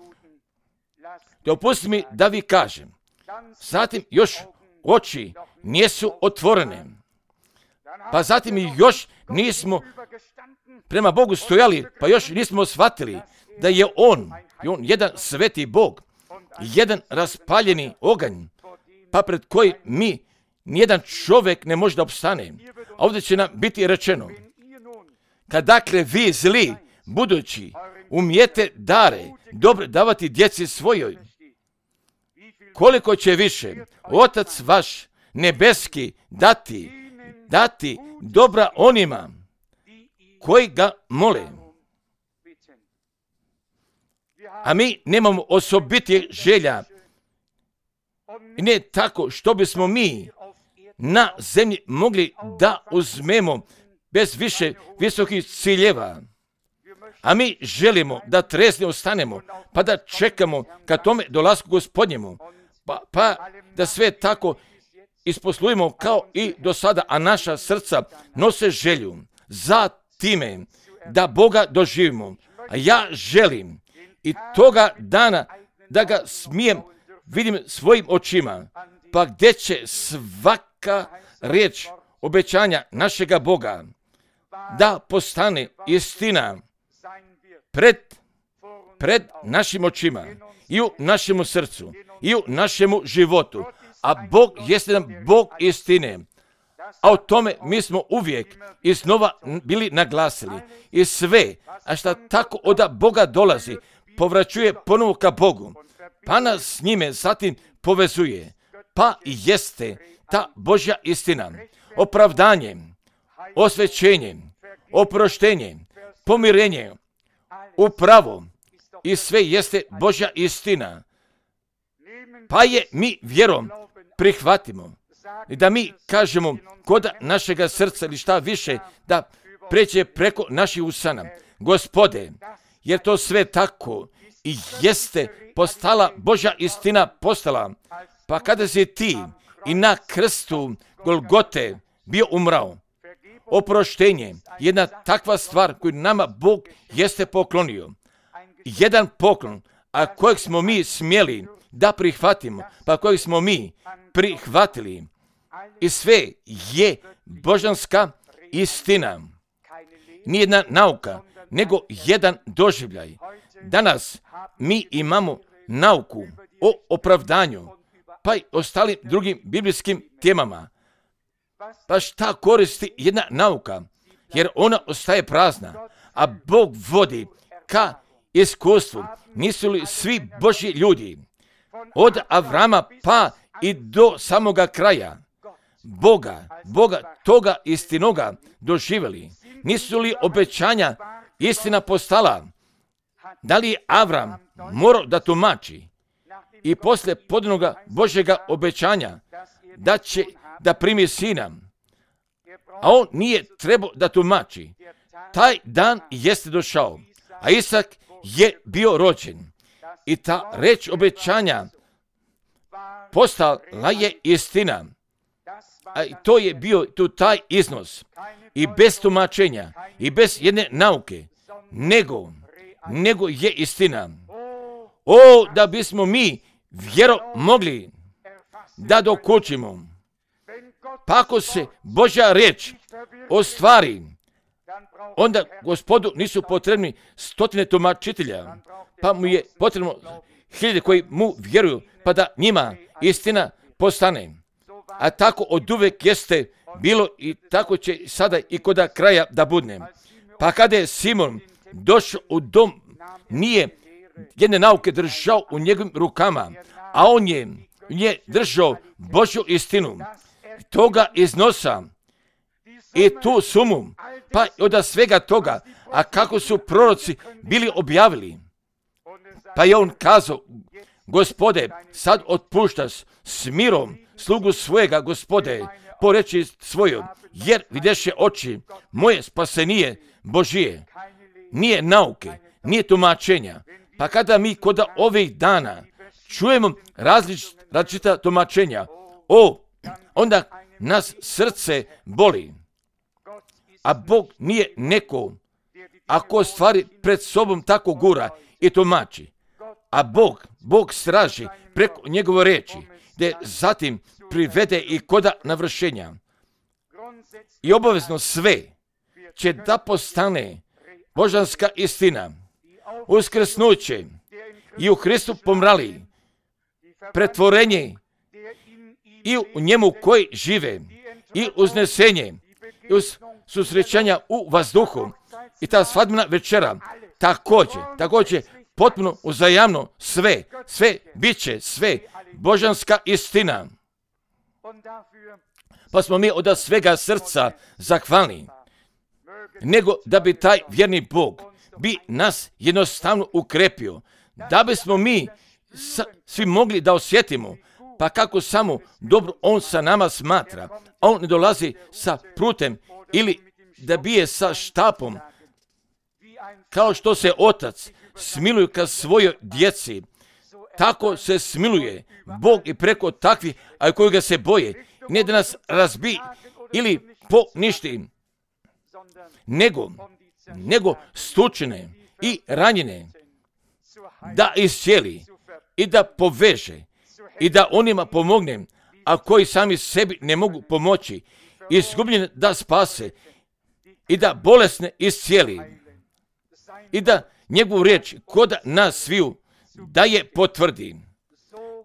Dopusti mi da vi kažem, zatim još oči nisu otvorene, pa zatim i još nismo prema Bogu stojali, pa još nismo shvatili da je on, je on jedan sveti Bog, jedan raspaljeni oganj, pa pred koji mi nijedan čovjek ne može da opstane. A ovdje će nam biti rečeno, kad dakle vi zli, budući, umijete dare, dobre davati djeci svojoj, koliko će više Otac vaš nebeski dati, dati dobra onima koji ga mole. A mi nemamo osobitih želja. I ne tako što bismo mi na zemlji mogli da uzmemo bez više visokih ciljeva. A mi želimo da tresni ostanemo, pa da čekamo ka tome dolasku Gospodnjemu, pa, pa da sve tako isposlujemo kao i do sada, a naša srca nose želju za time da Boga doživimo. A ja želim i toga dana da ga smijem vidim svojim očima, pa gdje će svaka riječ obećanja našega Boga da postane istina pred, pred našim očima i u našemu srcu i u našemu životu. A Bog jeste nam Bog istine. A o tome mi smo uvijek i snova bili naglasili. I sve, a šta tako od Boga dolazi, povraćuje ponovo ka Bogu, pa nas s njime zatim povezuje. Pa jeste ta Božja istina, opravdanje, osvećenje, oproštenje, pomirenje, upravo i sve jeste Božja istina. Pa je mi vjerom prihvatimo i da mi kažemo kod našega srca ili šta više da pređe preko naših usana. Gospode, jer to sve tako i jeste postala Božja istina postala. Pa kada si ti i na krstu Golgote bio umrao, oproštenje, jedna takva stvar koju nama Bog jeste poklonio. Jedan poklon, a kojeg smo mi smjeli da prihvatimo, pa kojeg smo mi prihvatili. I sve je božanska istina. Nijedna nauka, nego jedan doživljaj. Danas mi imamo nauku o opravdanju, pa i ostalim drugim biblijskim temama. Pa šta koristi jedna nauka? Jer ona ostaje prazna, a Bog vodi ka iskustvu. Nisu li svi Božji ljudi od Avrama pa i do samoga kraja Boga, Boga toga istinoga doživjeli? Nisu li obećanja istina postala? Da li je Avram morao da tumači i poslije podanoga Božjega obećanja da će da primi sina, a on nije trebao da tumači? Taj dan jeste došao, a Isak je bio rođen i ta reč obećanja postala je istina. A to je bio tu taj iznos i bez tumačenja i bez jedne nauke, nego, nego je istina. O, da bismo mi vjero mogli da dokučimo. Pa ako se Božja riječ ostvari, onda Gospodu nisu potrebni stotine tumačitelja, pa mu je potrebno hiljade koji mu vjeruju, pa da njima istina postane. A tako od uvek jeste bilo i tako će sada i kod kraja da budne. Pa kada je Simon došao u dom, nije jedne nauke držao u njegovim rukama, a on je, je držao Božju istinu, toga iznosa i tu sumu, pa od svega toga, a kako su proroci bili objavili. Pa je on kazao, Gospode, sad otpuštaš s mirom slugu svojega, Gospode, po reči svojoj, jer videše oči moje spasenije Božije. Nije nauke, nije tumačenja. Pa kada mi kod ovih dana čujemo različ, različita tumačenja, o, onda nas srce boli. A Bog nije neko, ako stvari pred sobom tako gura i tumači. A Bog, Bog straži preko njegove reči, da zatim privede i koda navršenja. I obavezno sve će da postane božanska istina, uskrsnuće i u Hristu pomrali, pretvorenje i u njemu koji žive, i uznesenje, i uz susrećanja u vazduhu, i ta svadbena večera, također, također, potpuno uzajamno sve, sve bit će sve božanska istina. Pa smo mi od svega srca zahvalni, nego da bi taj vjerni Bog bi nas jednostavno ukrepio, da bismo mi sa, svi mogli da osjetimo, pa kako samo dobro on sa nama smatra, a on ne dolazi sa prutem ili da bije sa štapom, kao što se otac smiluje ka svojoj djeci, tako se smiluje Bog i preko takvih, a koji ga se boje, ne da nas razbi ili poništi, nego, nego stučene i ranjene da iscijeli i da poveže i da onima pomogne, a koji sami sebi ne mogu pomoći, izgubljene da spase i da bolesne iscijeli i da njegovu riječ kod nas sviju da je potvrdi.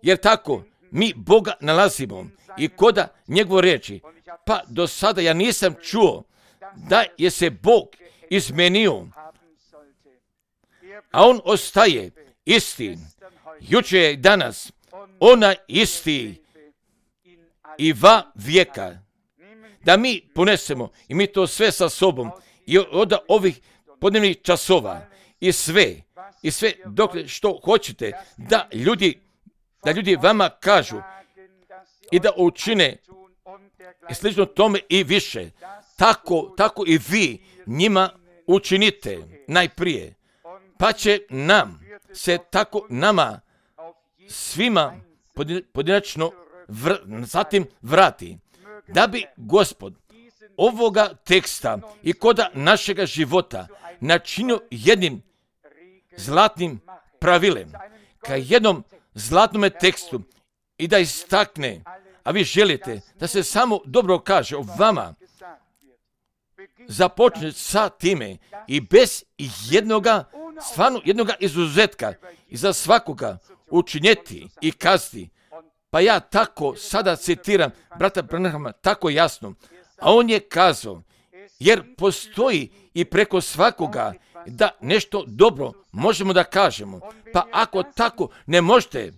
Jer tako mi Boga nalazimo i koda njegove riječi. Pa do sada ja nisam čuo da je se Bog izmenio, a on ostaje isti. Juče i danas, ona isti i va vijeka. Da mi ponesemo i mi to sve sa sobom i od ovih podnevnih časova i sve, i sve dok što hoćete da ljudi, da ljudi vama kažu i da učine i slično tome i više. Tako, tako i vi njima učinite najprije. Pa će nam se tako nama svima pojedinačno vr, zatim vrati. Da bi Gospod ovoga teksta i koda našega života načinio jednim zlatnim pravilem, ka jednom zlatnome tekstu i da istakne, a vi želite da se samo dobro kaže o vama, započne sa time i bez jednoga, stvarno jednoga izuzetka i za svakoga učinjeti i kazati. Pa ja tako sada citiram brata Branhama tako jasno, a on je kazao, jer postoji i preko svakoga da nešto dobro možemo da kažemo. Pa ako tako ne možete,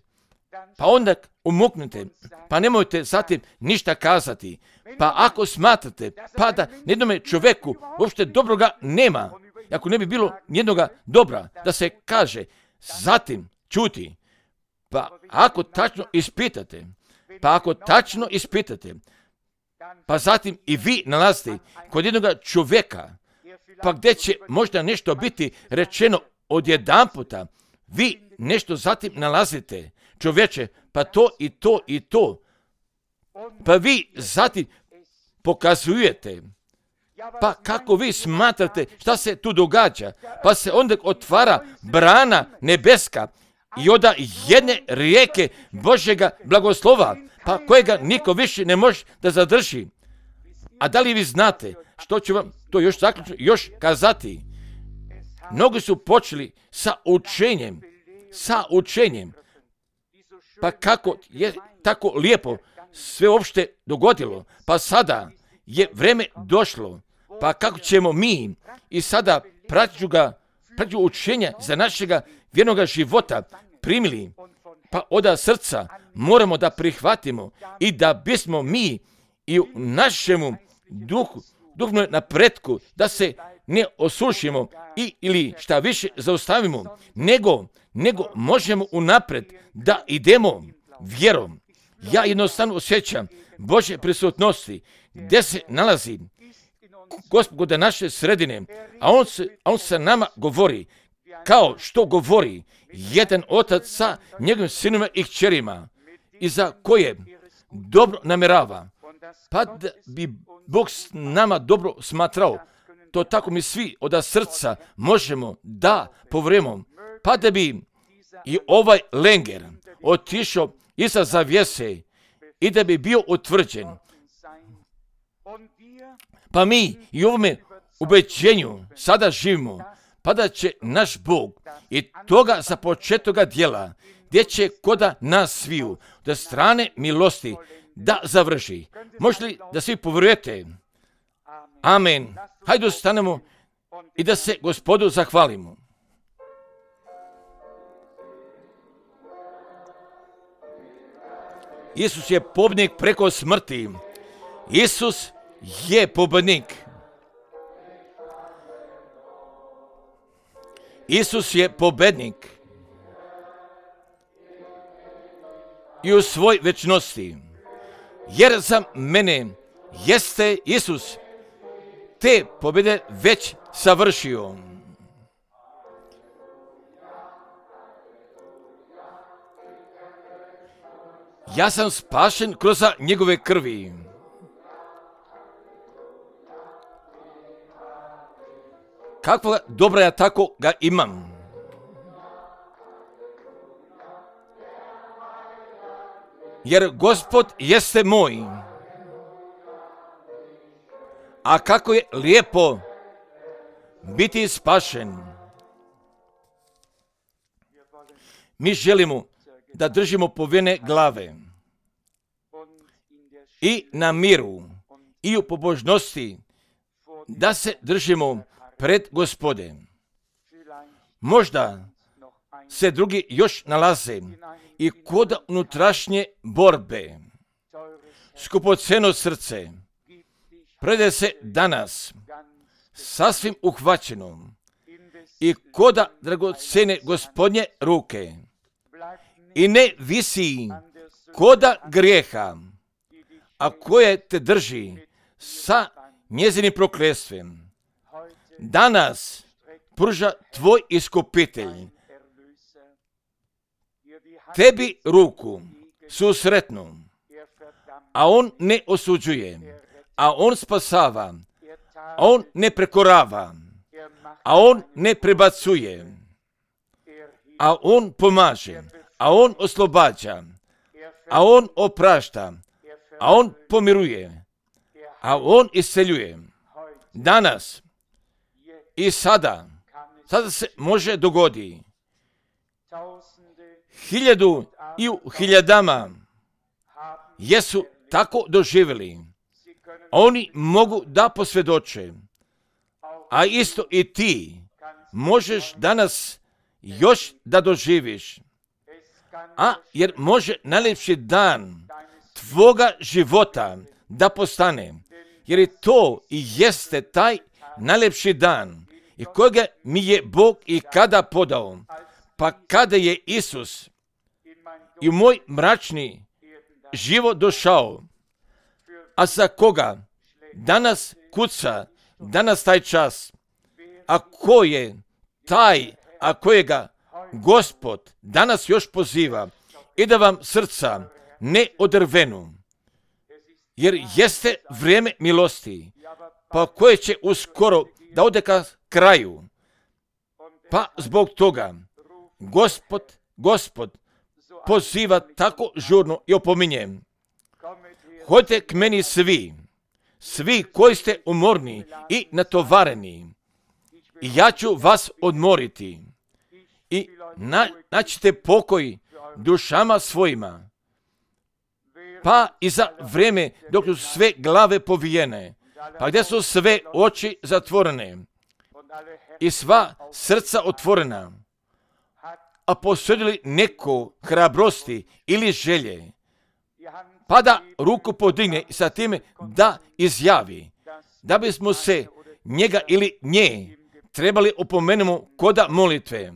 pa onda umuknite, pa nemojte zatim ništa kazati. Pa ako smatrate, pa da jednome čovjeku uopšte dobroga nema, ako ne bi bilo jednoga dobra, da se kaže, zatim čuti. Pa ako tačno ispitate, pa ako tačno ispitate, pa zatim i vi nalazite kod jednoga čovjeka, pa gdje će možda nešto biti rečeno odjedanputa, vi nešto zatim nalazite, čovječe, pa to i to i to, pa vi zatim pokazujete, pa kako vi smatrate šta se tu događa, pa se onda otvara brana nebeska i od jedne rijeke Božjega blagoslova, pa kojega niko više ne može da zadrži. A da li vi znate što ću vam to još zaključno još kazati? Mnogi su počeli sa učenjem, sa učenjem, pa kako je tako lijepo sve uopšte dogodilo, pa sada je vreme došlo, pa kako ćemo mi i sada praću ga, praću učenja za našega vjernoga života primili, pa od srca moramo da prihvatimo i da bismo mi i u našemu duhu, duhovnom napretku, da se ne osušimo i ili šta više zaustavimo, nego, nego možemo unapred da idemo vjerom. Ja jednostavno osjećam Božje prisutnosti gdje se nalazi Gospoda naše sredine, a on se, a on sa nama govori kao što govori jedan otac sa njegovim sinovima i kćerima i za koje dobro namjerava. Pa da bi Bog s nama dobro smatrao, to tako mi svi od srca možemo da povremo, pa da bi i ovaj lenger otišao iza zavjese i da bi bio utvrđen. Pa mi i u ovome ubeđenju sada živimo, pa da će naš Bog i toga započetoga djela, gdje će koda nas sviju, da strane milosti da završi. Možete li da svi povjerujete? Amen. Hajde stanemo i da se Gospodu zahvalimo. Isus je pobjednik preko smrti. Isus je pobjednik. Isus je pobjednik. I u svoj večnosti. Jer za mene jeste Isus te pobjede već savršio. Ja sam spašen kroz njegove krvi. Kakva dobra ja tako ga imam. Jer Gospod jeste moj. A kako je lijepo biti spašen. Mi želimo da držimo povijene glave i na miru i u pobožnosti da se držimo pred Gospode. Možda se drugi još nalaze i kod unutrašnje borbe. Skupoceno srce prede se danas sasvim uhvaćeno i koda dragocene Gospodnje ruke i ne visi koda grijeha, a koje te drži sa njezinim proklestvem. Danas pruža tvoj iskupitelj tebi ruku susretnu, a on ne osuđuje, a on spasava, a on ne prekorava, a on ne prebacuje, a on pomaže, a on oslobađa, a on oprašta, a on pomiruje, a on isceljuje. Danas i sada, sada se može dogodi. Hiljadu i u hiljadama jesu tako doživjeli. Oni mogu da posvjedoče, a isto i ti možeš danas još da doživiš. A jer može najljepši dan tvoga života da postane, jer je to i jeste taj najljepši dan i kojega mi je Bog i kada podao, pa kada je Isus i u moj mračni život došao, a za koga danas kuca, danas taj čas, a ko je taj, a kojega Gospod danas još poziva i da vam srca ne odrvenu, jer jeste vrijeme milosti, pa koje će uskoro da ode ka kraju. Pa zbog toga Gospod, Gospod poziva tako žurno i opominje: hodite k meni svi, svi koji ste umorni i natovareni, i ja ću vas odmoriti. I na, naćite pokoj dušama svojima. Pa i za vrijeme dok su sve glave povijene, pa gdje su sve oči zatvorene i sva srca otvorena, a posjedili neko hrabrosti ili želje, pa da ruku podigne i sa time da izjavi da bismo se njega ili nje trebali opomenemo koda molitve.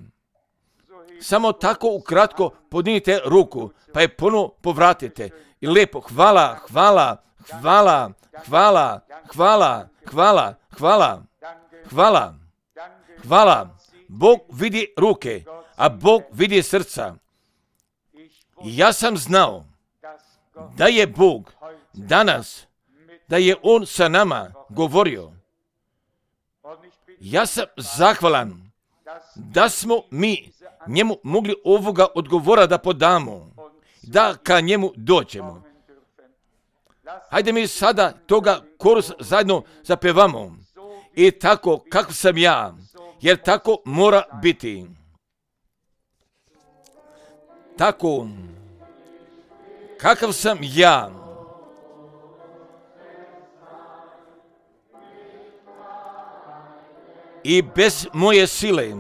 Samo tako ukratko podignite ruku, pa je ponovo povratite i lijepo hvala, hvala, hvala, hvala, hvala, hvala, hvala, hvala, hvala. Bog vidi ruke, a Bog vidi srca. I ja sam znao da je Bog danas, da je On sa nama govorio. Ja sam zahvalan da smo mi njemu mogli ovoga odgovora da podamo, da ka njemu dođemo. Hajde mi sada toga korus zajedno zapevamo. I tako kako sam ja, jer tako mora biti. Tako kakav sam ja, i bez moje sile,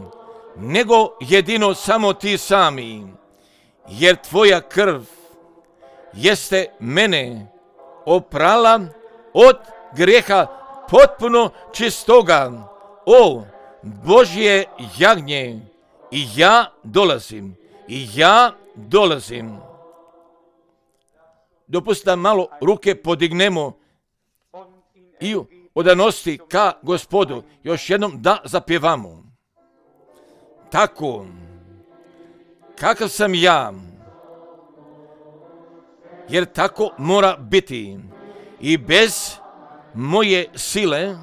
nego jedino samo ti sami, jer tvoja krv jeste mene oprala od grijeha potpuno čistoga. O Božje jagnje, i ja dolazim, i ja dolazim. Dopustite da malo ruke podignemo i u odanosti ka Gospodu još jednom da zapjevamo. Tako, kakav sam ja, jer tako mora biti, i bez moje sile,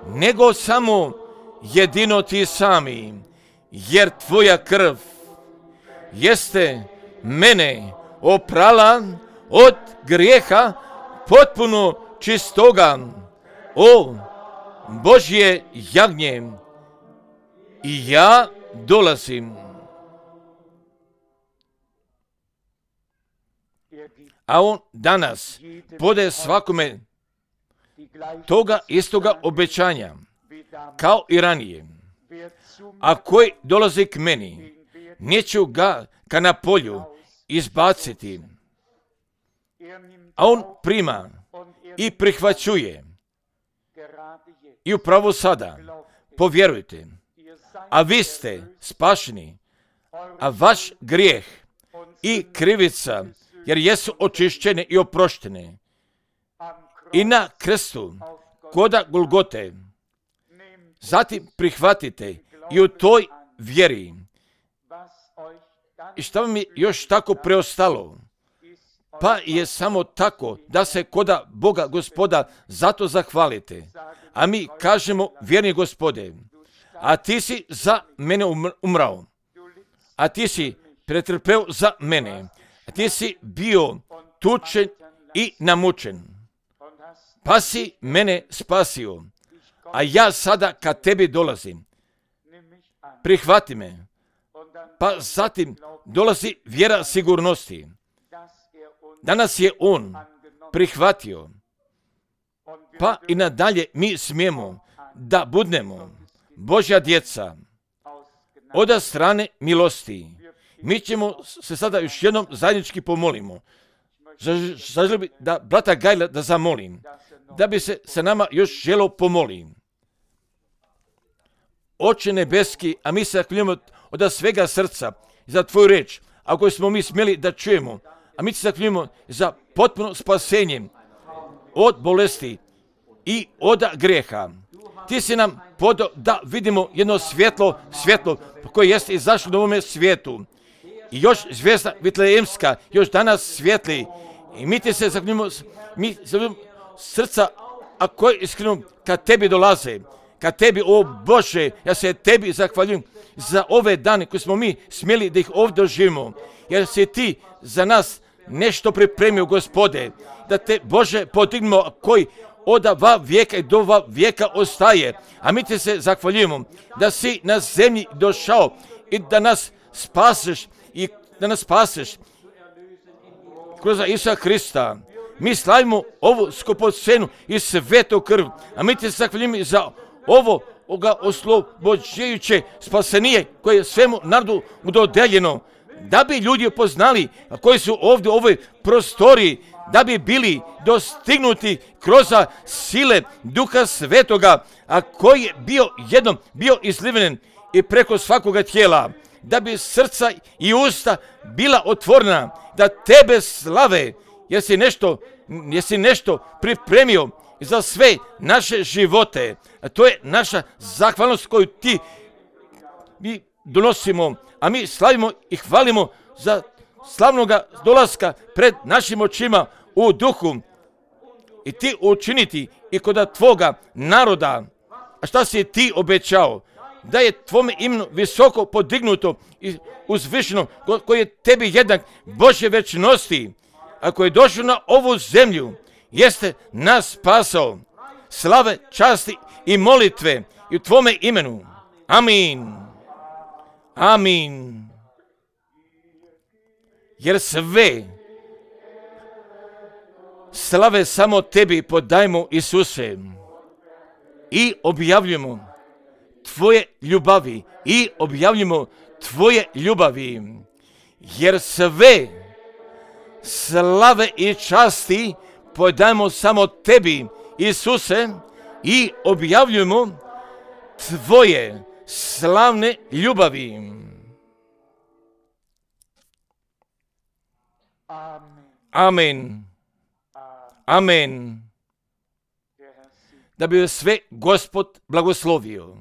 nego samo jedino ti sami, jer tvoja krv jeste mene oprala od grijeha potpuno čistoga. O Božje jagnje, i ja dolazim. A On danas podaje svakome toga istoga obećanja, kao i ranije. A koji dolazi k meni, neću ga ka na polju izbaciti. A On prima i prihvaćuje. I upravo sada, povjerujte, a vi ste spašeni, a vaš grijeh i krivica, jer jesu očišćene i oproštene. I na krstu, koda Golgote, zatim prihvatite i u toj vjeri. I šta vam je još tako preostalo? Pa je samo tako da se koda Boga Gospoda zato zahvalite. A mi kažemo: vjerni Gospode, a ti si za mene umrao, a ti si pretrpeo za mene. Ti si bio tučen i namučen, pa si mene spasio, a ja sada ka tebi dolazim. Prihvati me. Pa zatim dolazi vjera sigurnosti. Danas je on prihvatio, pa i nadalje mi smijemo da budemo Božja djeca od strane milosti. Mi ćemo se sada još jednom zajednički pomolimo. Zaželim bi da brata Gajla da zamolim, da bi se sa nama još želo pomoli. Oče nebeski, a mi se zaklinjemo od svega srca za tvoju reč, ako smo mi smjeli da čujemo, a mi se zaklinjemo za potpuno spasenje od bolesti i od grijeha. Ti si nam podao da vidimo jedno svjetlo, svjetlo koje jeste izašlo na ovome svijetu. I još zvijezda Vitlejemska, još danas svijetli. I mi ti se zaklinjemo, mi zaklinjemo srca, a koje iskreno kad tebi dolaze, kad tebi, o Bože, ja se tebi zahvaljujem za ove dane koje smo mi smjeli da ih ovdje doživimo. Jer si ti za nas nešto pripremio, Gospode, da te, Bože, podignemo koji od ova vijeka i do ova vijeka ostaje. A mi ti se zahvaljujemo da si na zemlji došao i da nas spaseš i da nas spaseš kroz Isusa Hrista. Mi slavimo ovu skupocenu i svetu krv, a mi ti se zahvaljujemo za ovo ovoga oslobođujuće spasenije koje je svemu narodu dodeljeno, da bi ljudi upoznali koji su ovdje u ovoj prostoriji, da bi bili dostignuti kroz sile Duha Svetoga, a koji je bio jednom bio izliven i preko svakoga tijela, da bi srca i usta bila otvorena, da tebe slave, jer si nešto, jer si nešto pripremio za sve naše živote. A to je naša zahvalnost koju ti mi donosimo, a mi slavimo i hvalimo za slavnoga dolaska pred našim očima u duhu i ti učiniti i kod tvoga naroda. A šta si ti obećao? Da je tvome imenu visoko podignuto i uzvišeno, koji je tebi jednak Božje večnosti, a koji je došao na ovu zemlju, jeste nas spasao. Slave, časti i molitve i u tvome imenu. Amin. Amin. Jer sve slave samo tebi podajmo, Isuse, i objavljujemo tvoje ljubavi i objavljujemo tvoje ljubavi, jer sve slave i časti podajmo samo tebi, Isuse, i objavljujemo tvoje slavne ljubavi. Amen. Amen. Da bi sve Gospod blagoslovio.